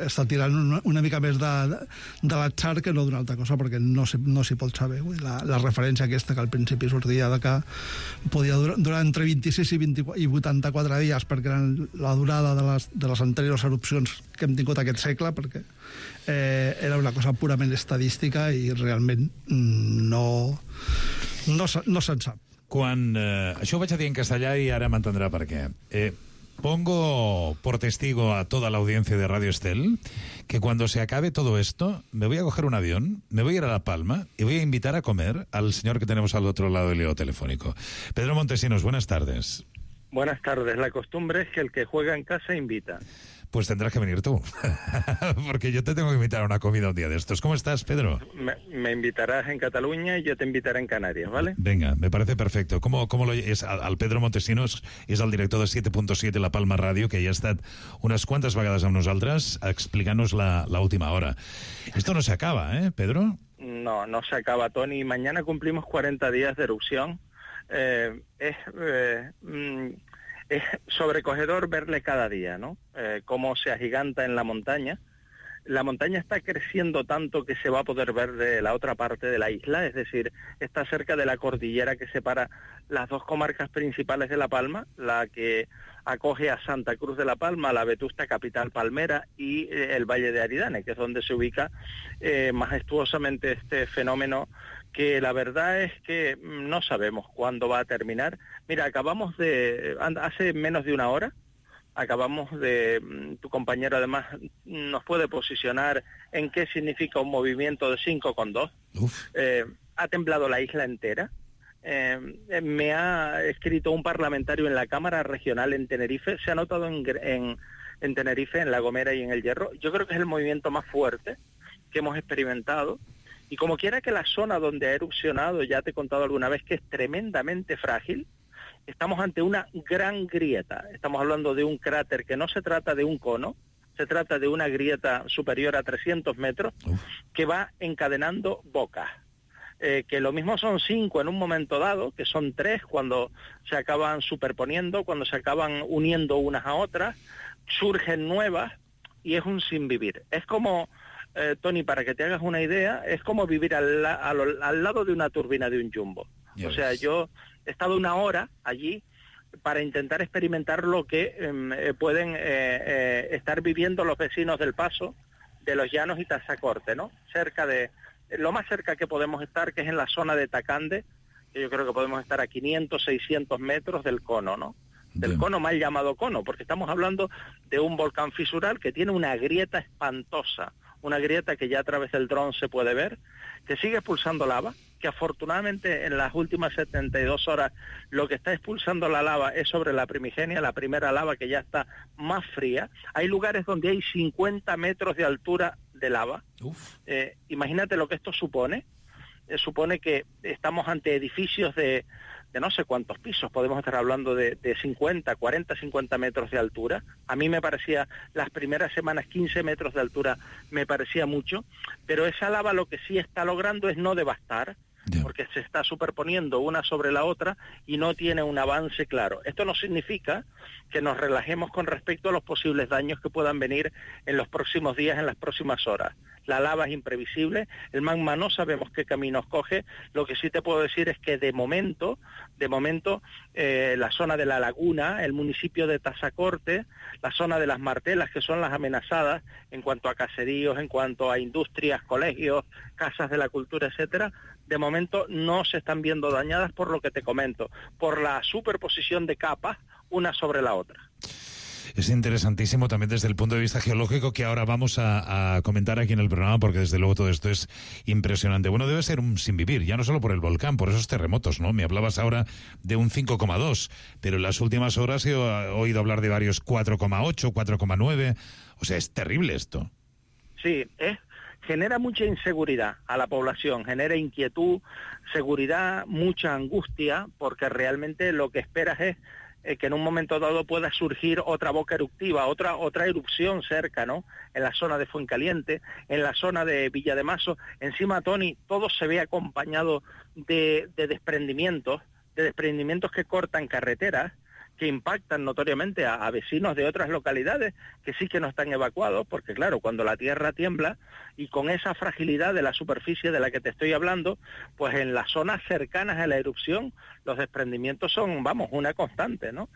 està tirant una mica més de l'atzar que no d'una altra cosa, perquè no s'hi pot saber. La referència aquesta que al principi sortia de que podia durar entre 26 i 84 dies, perquè era la durada de les anteriors erupcions que hem tingut aquest segle, perquè era una cosa purament estadística i realment no se'n sap. Això ho vaig a dir en castellà y ahora m'entendrà per què. Pongo por testigo a toda la audiencia de Radio Estel que cuando se acabe todo esto me voy a coger un avión, me voy a ir a La Palma y voy a invitar a comer al señor que tenemos al otro lado del hilo telefónico. Pedro Montesinos, buenas tardes. Buenas tardes. La costumbre es que el que juega en casa invita. Pues tendrás que venir tú, porque yo te tengo que invitar a una comida un día de estos. ¿Cómo estás, Pedro? Me invitarás en Cataluña y yo te invitaré en Canarias, ¿vale? Venga, me parece perfecto. ¿Cómo lo es? Al Pedro Montesinos és el director de 7.7 La Palma Ràdio, que ja ha estat unes quantes vegades amb nosaltres explicant-nos la última hora. Esto no se acaba, ¿eh, Pedro? No se acaba, Tony. Mañana cumplimos 40 días de erupción. Es sobrecogedor verle cada día, ¿no? Cómo se agiganta en la montaña. La montaña está creciendo tanto que se va a poder ver de la otra parte de la isla, es decir, está cerca de la cordillera que separa las dos comarcas principales de La Palma, la que acoge a Santa Cruz de La Palma, la vetusta capital palmera y el Valle de Aridane, que es donde se ubica majestuosamente este fenómeno que la verdad es que no sabemos cuándo va a terminar. Mira, hace menos de una hora, tu compañero además nos puede posicionar en qué significa un movimiento de 5,2. Ha temblado la isla entera. Me ha escrito un parlamentario en la Cámara Regional en Tenerife, se ha notado en Tenerife, en La Gomera y en El Hierro. Yo creo que es el movimiento más fuerte que hemos experimentado. Y como quiera que la zona donde ha erupcionado, ya te he contado alguna vez que es tremendamente frágil, estamos ante una gran grieta. Estamos hablando de un cráter que no se trata de un cono, se trata de una grieta superior a 300 metros que va encadenando bocas. Que lo mismo son 5 en un momento dado, que son 3 cuando se acaban superponiendo, cuando se acaban uniendo unas a otras, surgen nuevas y es un sinvivir. Es como, Tony, para que te hagas una idea, es como vivir al lado de una turbina de un jumbo. O sea, yo he estado 1 hora allí para intentar experimentar lo que pueden estar viviendo los vecinos del Paso, de Los Llanos y Tazacorte, ¿no? Lo más cerca que podemos estar, que es en la zona de Tacande, que yo creo que podemos estar a 500, 600 metros del cono, ¿no? Del cono mal llamado cono, porque estamos hablando de un volcán fisural que tiene una grieta espantosa, una grieta que ya a través del dron se puede ver, que sigue expulsando lava, que afortunadamente en las últimas 72 horas lo que está expulsando la lava es sobre la primigenia, la primera lava que ya está más fría. Hay lugares donde hay 50 metros de altura de lava. Imagínate lo que esto supone. Supone que estamos ante edificios de no sé cuántos pisos, podemos estar hablando de 50, 40, 50 metros de altura. A mí me parecía, las primeras semanas, 15 metros de altura me parecía mucho, pero esa lava lo que sí está logrando es no devastar, porque se está superponiendo una sobre la otra y no tiene un avance claro. Esto no significa que nos relajemos con respecto a los posibles daños que puedan venir en los próximos días, en las próximas horas. La lava es imprevisible, el magma no sabemos qué caminos coge. Lo que sí te puedo decir es que de momento, la zona de La Laguna, el municipio de Tazacorte, la zona de las Martelas, que son las amenazadas en cuanto a caseríos, en cuanto a industrias, colegios, casas de la cultura, etcétera, de momento no se están viendo dañadas por lo que te comento, por la superposición de capas una sobre la otra. Es interesantísimo también desde el punto de vista geológico, que ahora vamos a comentar aquí en el programa, porque desde luego todo esto es impresionante. Bueno, debe ser un sinvivir, ya no solo por el volcán, por esos terremotos, ¿no? Me hablabas ahora de un 5,2, pero en las últimas horas he oído hablar de varios 4,8, 4,9. O sea, es terrible esto. Sí, genera mucha inseguridad a la población, genera inquietud, seguridad, mucha angustia, porque realmente lo que esperas es que en un momento dado pueda surgir otra boca eruptiva, otra erupción cerca, ¿no? En la zona de Fuencaliente, en la zona de Villamazo. Encima, Tony, todo se ve acompañado de desprendimientos que cortan carreteras, que impactan notoriamente a vecinos de otras localidades que sí que no están evacuados, porque claro, cuando la tierra tiembla y con esa fragilidad de la superficie de la que te estoy hablando, pues en las zonas cercanas a la erupción los desprendimientos son, una constante, ¿no?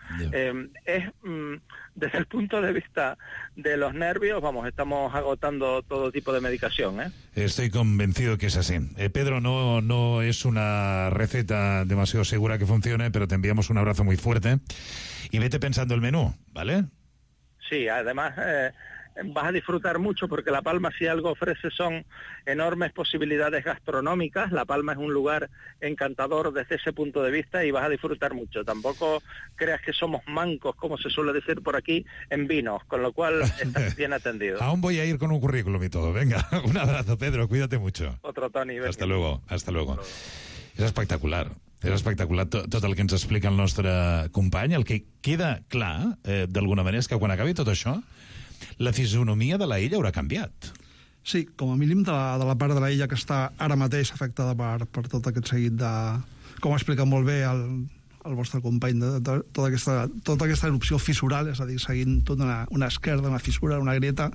Desde el punto de vista de los nervios, estamos agotando todo tipo de medicación, ¿eh? Estoy convencido que es así. Pedro, no es una receta demasiado segura que funcione, pero te enviamos un abrazo muy fuerte y vete pensando el menú, ¿vale? Sí, además vas a disfrutar mucho, porque La Palma, si algo ofrece, son enormes posibilidades gastronómicas. La Palma es un lugar encantador desde ese punto de vista y vas a disfrutar mucho. Tampoco creas que somos mancos, como se suele decir por aquí, en vinos, con lo cual estás bien atendido. Aún voy a ir con un currículum y todo. Venga, un abrazo, Pedro, cuídate mucho. Otro, Toni. Hasta luego. És espectacular. És espectacular tot el que ens explica el nostre company. El que queda clar, d'alguna manera, és que quan acabi tot això, la fisonomia de la illa haurà canviat. Sí, com a mínim de la part de la illa que està ara mateix afectada per tot aquest seguit de... Com ha explicat molt bé el vostre company, de tota aquesta erupció fissural, és a dir, seguint tota una esquerda, una fissura, una grieta.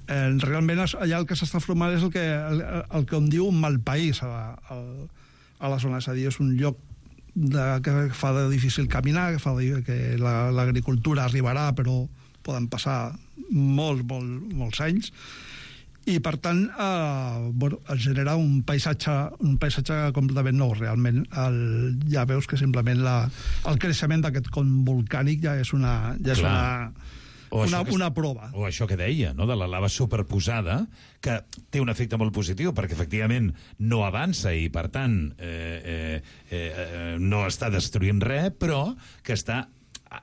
Realment allà el que s'està formant és el que em diu un mal país a la zona, és a dir, és un lloc que fa de difícil caminar, que fa que l'agricultura arribarà, però poden passar molts anys, i per tant es genera un paisatge completament nou. Realment ja veus que simplement el creixement d'aquest con volcànic ja és una prova. O això que deia, no?, de la lava superposada, que té un efecte molt positiu, perquè efectivament no avança i, per tant, no està destruint res, però que està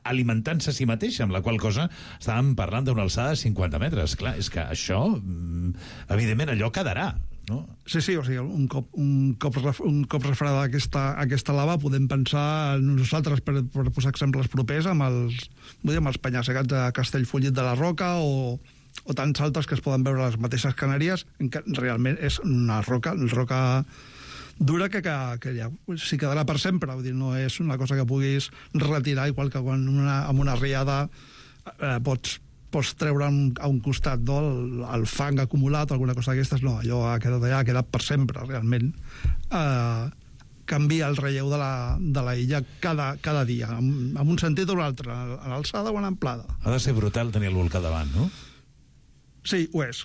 alimentant-se a si mateixa, amb la qual cosa estàvem parlant d'una alçada de 50 metres. Clar, és que això, evidentment, allò quedarà. no? Sí, o sigui, un cop refredada aquesta lava podem pensar nosaltres, per posar exemples propers, amb els penya-segats de Castellfollit de la Roca o tants altres que es poden veure a les mateixes Canàries, en què realment és una roca dura que ja s'hi quedarà per sempre. Vull dir, no és una cosa que puguis retirar, igual que quan amb una riada pots treure a un costat, no, el fang acumulat o alguna cosa d'aquestes. No, allò ha quedat allà, ha quedat per sempre, realment. Canvia el relleu de la illa cada dia, en un sentit o un altre, a l'alçada o a l'amplada. Ha de ser brutal tenir el volcà davant, no? Sí, ho és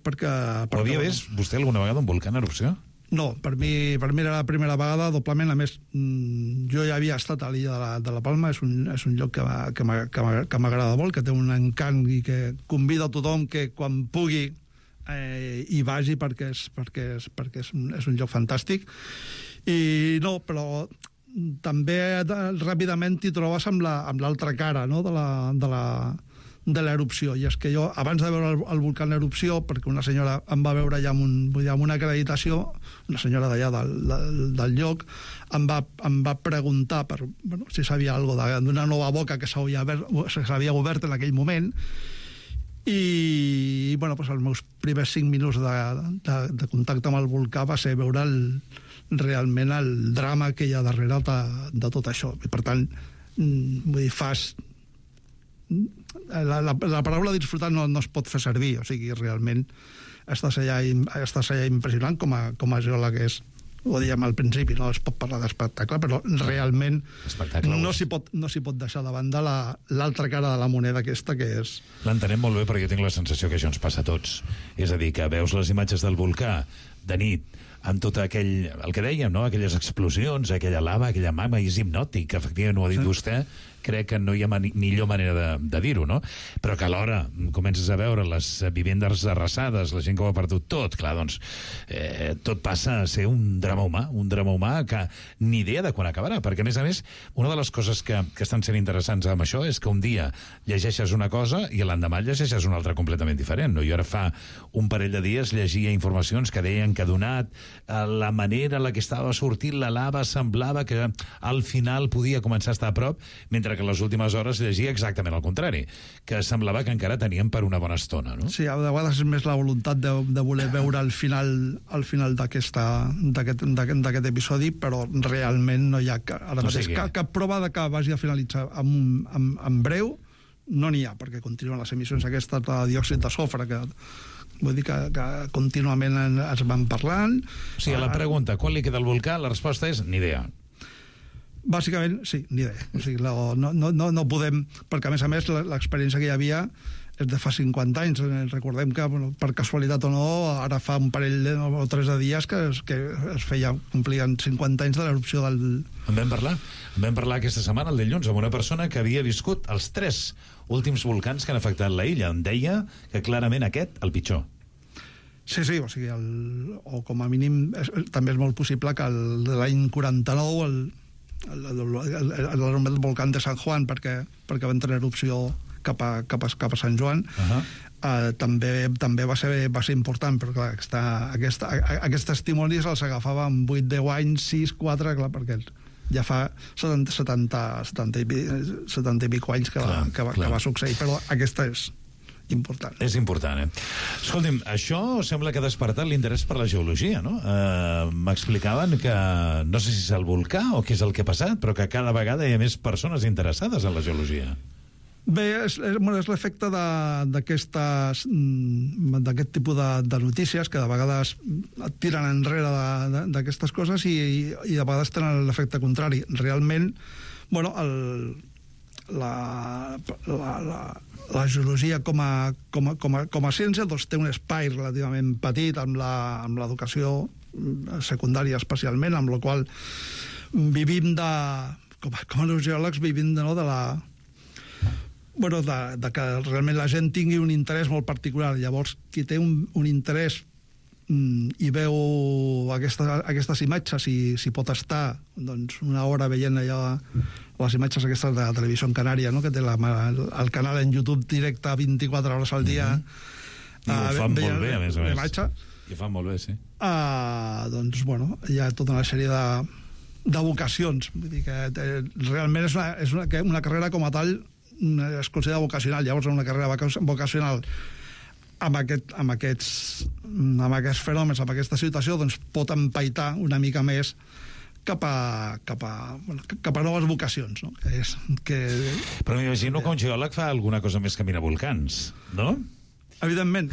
perquè... Ho havia vist vostè alguna vegada un volcà en erupció? No, per mi era la primera vegada, doblement. A més, jo ja havia estat a l'illa de la Palma, és un lloc que m'agrada molt, que té un encant i que convida a tothom que quan pugui hi vagi, perquè és un lloc fantàstic. I no, però també ràpidament t'hi trobes amb l'altra cara, no?, de l'erupció. I és que jo, abans de veure el volcà en erupció, perquè una senyora em va veure ja amb una acreditació, una senyora d'allà del lloc, em va preguntar si sabia alguna cosa d'una nova boca que s'havia obert en aquell moment. I els meus primers 5 minuts de contacte amb el volcà va ser veure realment el drama que hi ha darrere de tot això. I per tant, vull dir, la paraula disfrutar no es pot fer servir, o sigui, realment estàs allà impressionant com a geòleg és. Ho dèiem al principi, no es pot parlar d'espectacle, però realment no s'hi pot deixar de banda l'altra cara de la moneda aquesta, que és... L'entenem molt bé, perquè jo tinc la sensació que això ens passa a tots. És a dir, que veus les imatges del volcà de nit, amb tot el que dèiem, no? Aquelles explosions, aquella lava, aquella magma, i és hipnòtic, efectivament ho ha dit vostè, crec que no hi ha millor manera de dir-ho, no? Però que alhora comences a veure les vivendes arrasades, la gent que ho ha perdut tot, clar, doncs tot passa a ser un drama humà que ni idea de quan acabarà, perquè a més, una de les coses que estan sent interessants amb això és que un dia llegeixes una cosa i l'endemà llegeixes una altra completament diferent, no? Jo ara fa un parell de dies llegia informacions que deien que donat la manera en la que estava sortint la lava semblava que al final podia començar a estar a prop, mentre que en les últimes hores llegia exactament el contrari, que semblava que encara teníem per una bona estona, no? Sí, a vegades és més la voluntat de voler veure el final d'aquest episodi, però realment no hi ha cap prova de que vagi a finalitzar en breu, no n'hi ha, perquè continuen les emissions aquestes de diòxid de sofre, que vull dir que contínuament es van parlant. O sigui, la pregunta, quan li queda el volcà? La resposta és ni idea. Bàsicament, sí, ni idea. O sigui, no podem... Perquè, a més, l'experiència que hi havia és de fa 50 anys. Recordem que, per casualitat o no, ara fa un parell o 3 de dies que es complien 50 anys de l'erupció del... En vam parlar aquesta setmana, el dilluns, amb una persona que havia viscut els 3 últims volcans que han afectat la illa. Em deia que clarament aquest, el pitjor. Sí, o sigui, o com a mínim, també és molt possible que l'any 49 el volcán de San Juan, perquè va entrar en erupció cap a Sant Joan, també va ser important, però clar, aquests testimonis els agafava amb 8-10 anys, 6-4, clar, perquè ja fa 70 i pico anys que va succeir, però aquesta és important. És important, Escolti'm, això sembla que ha despertat l'interès per la geologia, no? M'explicaven que, no sé si és el volcà o què és el que ha passat, però que cada vegada hi ha més persones interessades en la geologia. Bé, és l'efecte d'aquest tipus de notícies que de vegades et tiren enrere d'aquestes coses i de vegades tenen l'efecte contrari. Realment, la geologia com a ciència doncs té un espai relativament petit amb l'educació secundària especialment, amb la qual vivim com a geòlegs vivim de que realment la gent tingui un interès molt particular. Llavors, qui té un interès i veu aquestes imatges i si pot estar una hora veient allò, les imatges aquestes de la televisió en Canària, no? Que té el canal en YouTube directe 24 hores al dia, i ho fan molt bé, a més. I fa molt bé, sí. Doncs, bueno, hi ha tota una sèrie de vocacions. Vull dir que realment és una carrera com a tal es considera vocacional. Llavors, una carrera vocacional amb aquests fenòmens, amb aquesta situació, doncs pot empaitar una mica més cap a noves vocacions, no? Però m'imagino que un geòleg fa alguna cosa més que mirar volcans, no? Evidentment,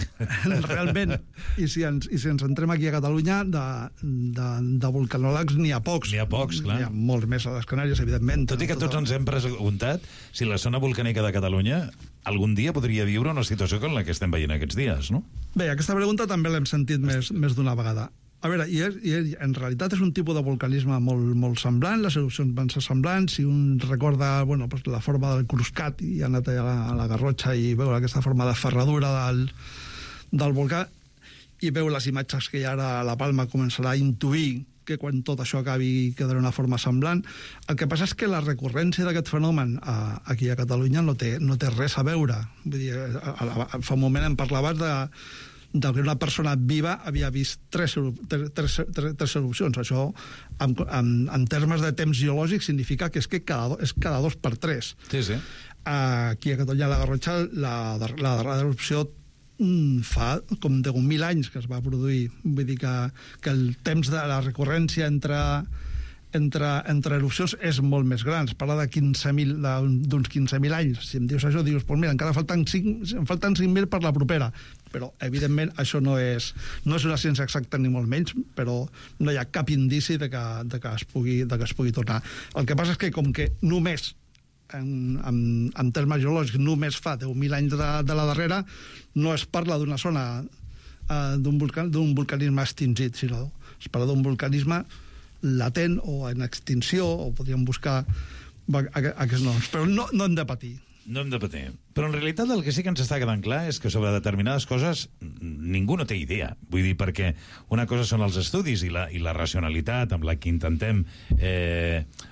realment. I si ens entrem aquí a Catalunya, de volcanòlegs n'hi ha pocs. N'hi ha pocs, clar. N'hi ha molts més a les Canàries, evidentment. Tot i que tots ens hem preguntat si la zona volcànica de Catalunya algun dia podria viure una situació com la que estem veient aquests dies, no? Bé, aquesta pregunta també l'hem sentit més d'una vegada. A veure, en realitat és un tipus de volcanisme molt semblant, les erupcions van ser semblants, si un recorda la forma del Cruscat i ha anat a la Garrotxa i veu aquesta forma de ferradura del volcà i veu les imatges que hi ha ara a la Palma, començarà a intuir que quan tot això acabi quedarà una forma semblant. El que passa és que la recurrència d'aquest fenomen aquí a Catalunya no té res a veure. Vull dir, fa un moment em parlaves de que una persona viva havia vist tres erupcions. Això, en termes de temps geològic, significa que és cada 2 per 3. Sí, sí. Aquí a Catalunya, a la Garrotxa, la darrera erupció fa com 10.000 anys que es va produir. Vull dir que el temps de la recurrència entre erupcions és molt més gran. Es parla d'uns 15.000 anys. Si em dius això, dius, pues mira, encara falten 5.000 per la propera. Però, evidentment, això no és una ciència exacta ni molt menys, però no hi ha cap indici de que es pugui tornar. El que passa és que, com que només, en termes geològics, només fa 10.000 anys de la darrera, no es parla d'una zona d'un volcanisme extingit, sinó es parla d'un volcanisme latent o en extinció, o podríem buscar aquests noms. Però no hem de patir. No hem de patir. Però en realitat el que sí que ens està quedant clar és que sobre determinades coses ningú no té idea. Vull dir, perquè una cosa són els estudis i la racionalitat amb la que intentem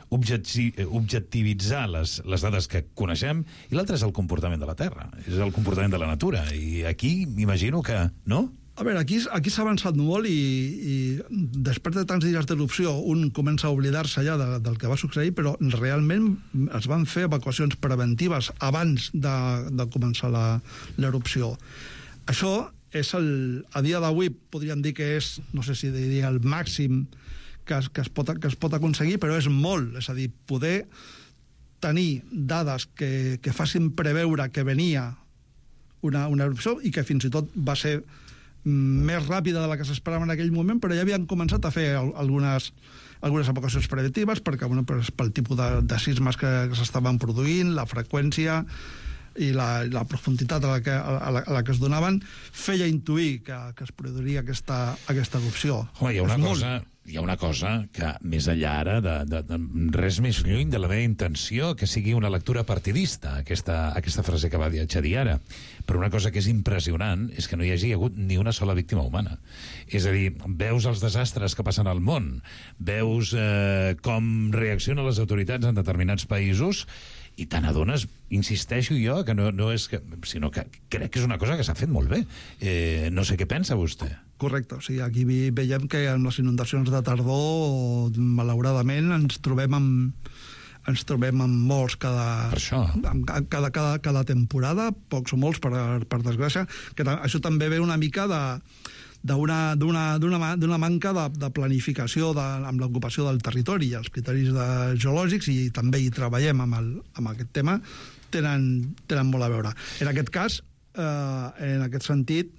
objectivitzar les dades que coneixem, i l'altre és el comportament de la Terra, és el comportament de la natura. I aquí m'imagino que, no? A veure, aquí s'ha avançat molt i després de tants dies d'erupció un comença a oblidar-se ja del que va succeir, però realment es van fer evacuacions preventives abans de començar l'erupció. Això és a dia d'avui podríem dir que és, no sé si diria el màxim que es pot aconseguir, però és molt. És a dir, poder tenir dades que facin preveure que venia una erupció i que fins i tot va ser més ràpida de la que s'esperava en aquell moment, però ja havien començat a fer algunes evacuacions preventives perquè pel tipus de sismes que s'estaven produint, la freqüència i la profunditat a la que es donaven feia intuir que es produiria aquesta erupció. Home, hi ha una cosa que, més enllà ara, de res més lluny de la meva intenció, que sigui una lectura partidista, aquesta frase que va dir ara. Però una cosa que és impressionant és que no hi hagi hagut ni una sola víctima humana. És a dir, veus els desastres que passen al món, veus com reaccionen les autoritats en determinats països, i te n'adones, insisteixo jo, que no és que, sinó que crec que és una cosa que s'ha fet molt bé. No sé què pensa vostè. Correcte, o sigui, aquí veiem que en les inundacions de tardor, malauradament, ens trobem amb morts cada temporada, pocs o molts, per desgràcia, que això també ve una mica d'una manca de planificació amb l'ocupació del territori i els criteris geològics, i també hi treballem amb aquest tema, tenen molt a veure. En aquest cas, en aquest sentit,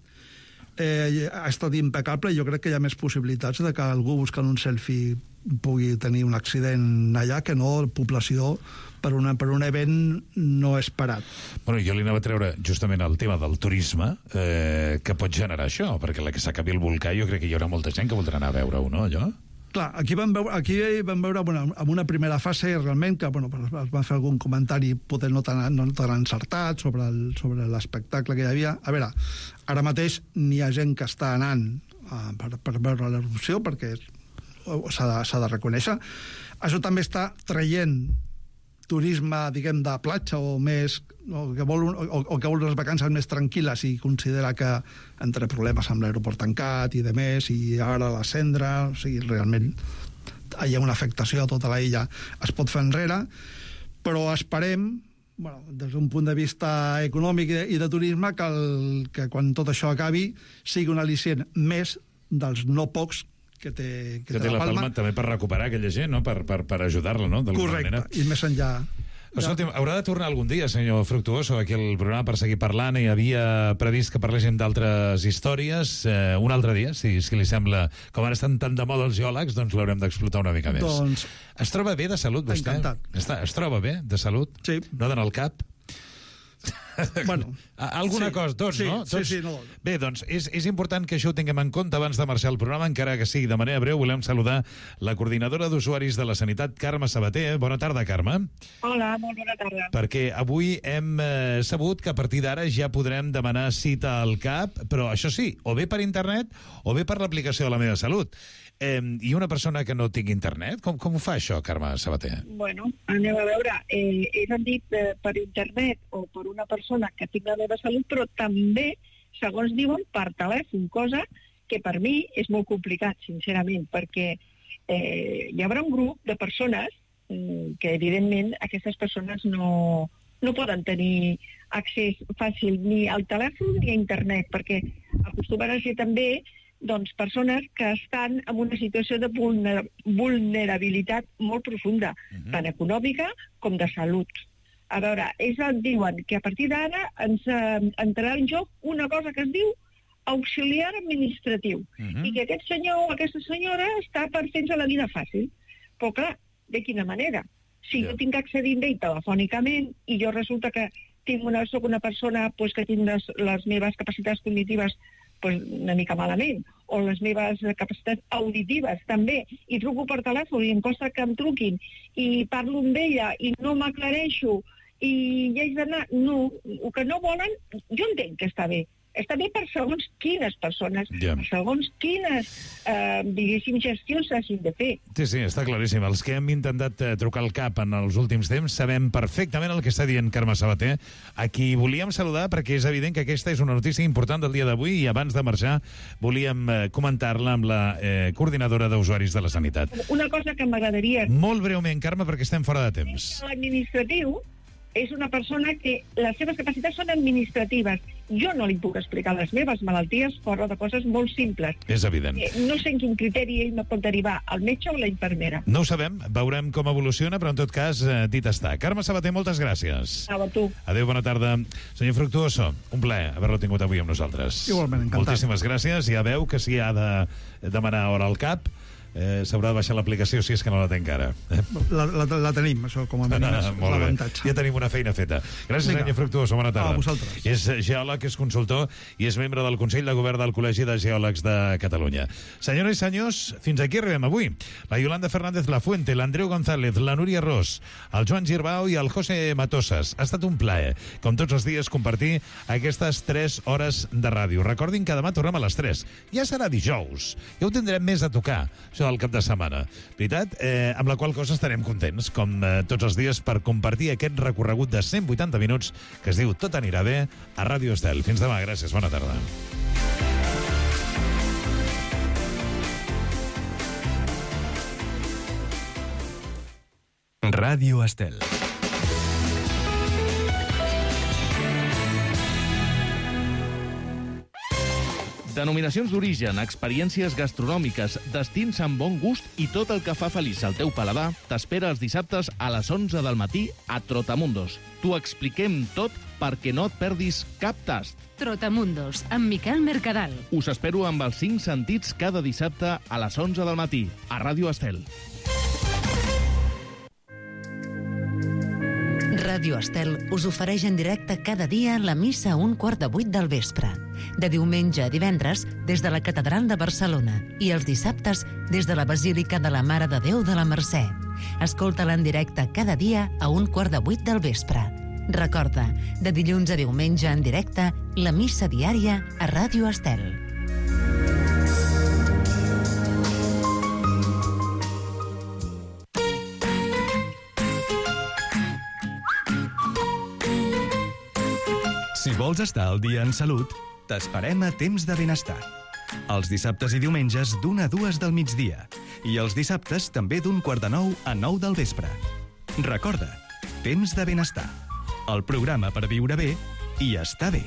ha estat impecable, i jo crec que hi ha més possibilitats de que algú buscant un selfie pugui tenir un accident allà que no població per un event no esperat. Bueno, jo li anava a treure justament el tema del turisme que pot generar això, perquè la que s'acabi el volcà jo crec que hi haurà molta gent que voldrà anar a veure-ho, no, allò? Clar, aquí vam veure en una primera fase realment que es va fer algun comentari poder no tan encertat sobre l'espectacle que hi havia. A veure, ara mateix n'hi ha gent que està anant per veure l'erupció, perquè s'ha de reconèixer. Això també està traient turisme, diguem, de platja o més, o que vol unes vacances més tranquil·les i considera que entre problemes amb l'aeroport tancat i de més, i ara la cendra, o sigui, realment hi ha una afectació a tota la illa, es pot fer enrere, però esperem, des d'un punt de vista econòmic i de turisme, que quan tot això acabi sigui un al·licient més dels no pocs que té la Palma. També per recuperar aquella gent, no? Per ajudar-la, no? Correcte, i més enllà. Escolti'm, haurà de tornar algun dia, senyor Fructuoso, aquí al programa per seguir parlant. Hi havia previst que parléssim d'altres històries. Un altre dia, si li sembla. Com ara estan tan de moda els geòlegs, doncs l'haurem d'explotar una mica més. Doncs... Es troba bé de salut, vostè? Encantat. Es troba bé de salut? Sí. No dona el cap? Bueno, alguna cosa, tots, sí, no? Tots... Sí, no. Bé, doncs és important que això ho tinguem en compte abans de marxar el programa, encara que sigui de manera breu. Volem saludar la coordinadora d'usuaris de la Sanitat, Carme Sabater. Bona tarda, Carme. Hola, molt bona tarda. Perquè avui hem sabut que a partir d'ara ja podrem demanar cita al CAP, però això sí, o bé per internet o bé per l'aplicació de La Meva Salut. I una persona que no tingui internet, com ho fa això, Carme Sabater? Bueno, anem a veure. És dit per internet o per una persona que tingui La Meva Salut, però també, segons diuen, per telèfon, cosa que per mi és molt complicat, sincerament, perquè hi haurà un grup de persones que, evidentment, aquestes persones no poden tenir accés fàcil ni al telèfon ni a internet, perquè acostumen a ser també persones que estan en una situació de vulnerabilitat molt profunda, tant econòmica com de salut. A veure, diuen que a partir d'ara ens entrarà en joc una cosa que es diu auxiliar administratiu, i que aquest senyor o aquesta senyora està per fer-nos la vida fàcil. Però clar, de quina manera? Si jo tinc que accedir a ell telefònicament i jo resulta que soc una persona que tinc les meves capacitats cognitives una mica malament, o les meves capacitats auditives també, i truco per telèfon i em costa que em truquin, i parlo amb ella i no m'aclareixo, i ja haig d'anar... No, el que no volen, jo entenc que està bé. Està bé per segons quines persones, per segons quines, diguéssim, gestions s'hagin de fer. Sí, està claríssim. Els que hem intentat trucar al CAP en els últims temps sabem perfectament el que està dient Carme Sabater, a qui volíem saludar perquè és evident que aquesta és una notícia important del dia d'avui, i abans de marxar volíem comentar-la amb la coordinadora d'usuaris de la Sanitat. Una cosa que m'agradaria... Molt breument, Carme, perquè estem fora de temps. L'administratiu és una persona que les seves capacitats són administratives. Jo no li puc explicar les meves malalties fora de coses molt simples. És evident. No sé en quin criteri ell me pot derivar, al metge o la infermera. No ho sabem, veurem com evoluciona, però en tot cas, dit està. Carme Sabater, moltes gràcies. A tu. Adéu, bona tarda. Senyor Fructuoso, un plaer haver-lo tingut avui amb nosaltres. Igualment, encantat. Moltíssimes gràcies. Ja veu que si ha de demanar hora al CAP, s'haurà de baixar l'aplicació si és que no la té encara. La tenim, això com a mínim és l'avantatge. Ja tenim una feina feta. Gràcies, senyor Fructuoso, bona tarda. A vosaltres. És geòleg, és consultor i és membre del Consell de Govern del Col·legi de Geòlegs de Catalunya. Senyores i senyors, fins aquí arribem avui. La Yolanda Fernández Lafuente, l'Andreu González, la Núria Ros, el Joan Girbau i el José Matosas. Ha estat un plaer, com tots els dies, compartir aquestes 3 hores de ràdio. Recordin que demà tornem a les 3. Ja serà dijous. Ja ho tindrem més a tocar, això del cap de setmana. Veritat? Amb la qual cosa estarem contents, com tots els dies, per compartir aquest recorregut de 180 minuts que es diu Tot anirà bé a Ràdio Estel. Fins demà, gràcies, bona tarda. Ràdio Estel. Denominacions d'origen, experiències gastronòmiques, destins amb bon gust i tot el que fa feliç el teu paladar t'espera els dissabtes a les 11 del matí a Trotamundos. T'ho expliquem tot perquè no et perdis cap tast. Trotamundos, amb Miquel Mercadal. Us espero amb els 5 sentits cada dissabte a les 11 del matí a Ràdio Estel. Ràdio Estel us ofereix en directe cada dia la missa a 7:15 del vespre. De diumenge a divendres des de la Catedral de Barcelona i els dissabtes des de la Basílica de la Mare de Déu de la Mercè. Escolta-la en directe cada dia a 7:15 del vespre. Recorda, de dilluns a diumenge en directe, la missa diària a Ràdio Estel. vols estar al dia en salut, t'esperem a Temps de Benestar. Els dissabtes i diumenges d'1 a 2 del migdia. I els dissabtes també d'1 quart de 9 a 9 del vespre. Recorda, Temps de Benestar. El programa per viure bé i estar bé.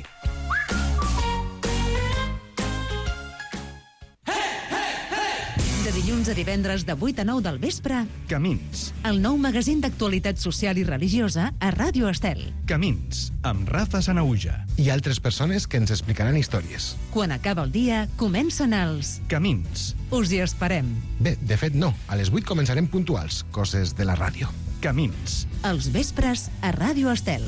De dilluns a divendres de 8 a 9 del vespre, Camins. el nou magazín d'actualitat social i religiosa a Ràdio Estel. Camins, amb Rafa Sanauja. I altres persones que ens explicaran històries. Quan acaba el dia, comencen els... Camins. Us hi esperem. Bé, de fet no. A les 8 començarem puntuals, coses de la ràdio. Camins. Els vespres a Ràdio Estel.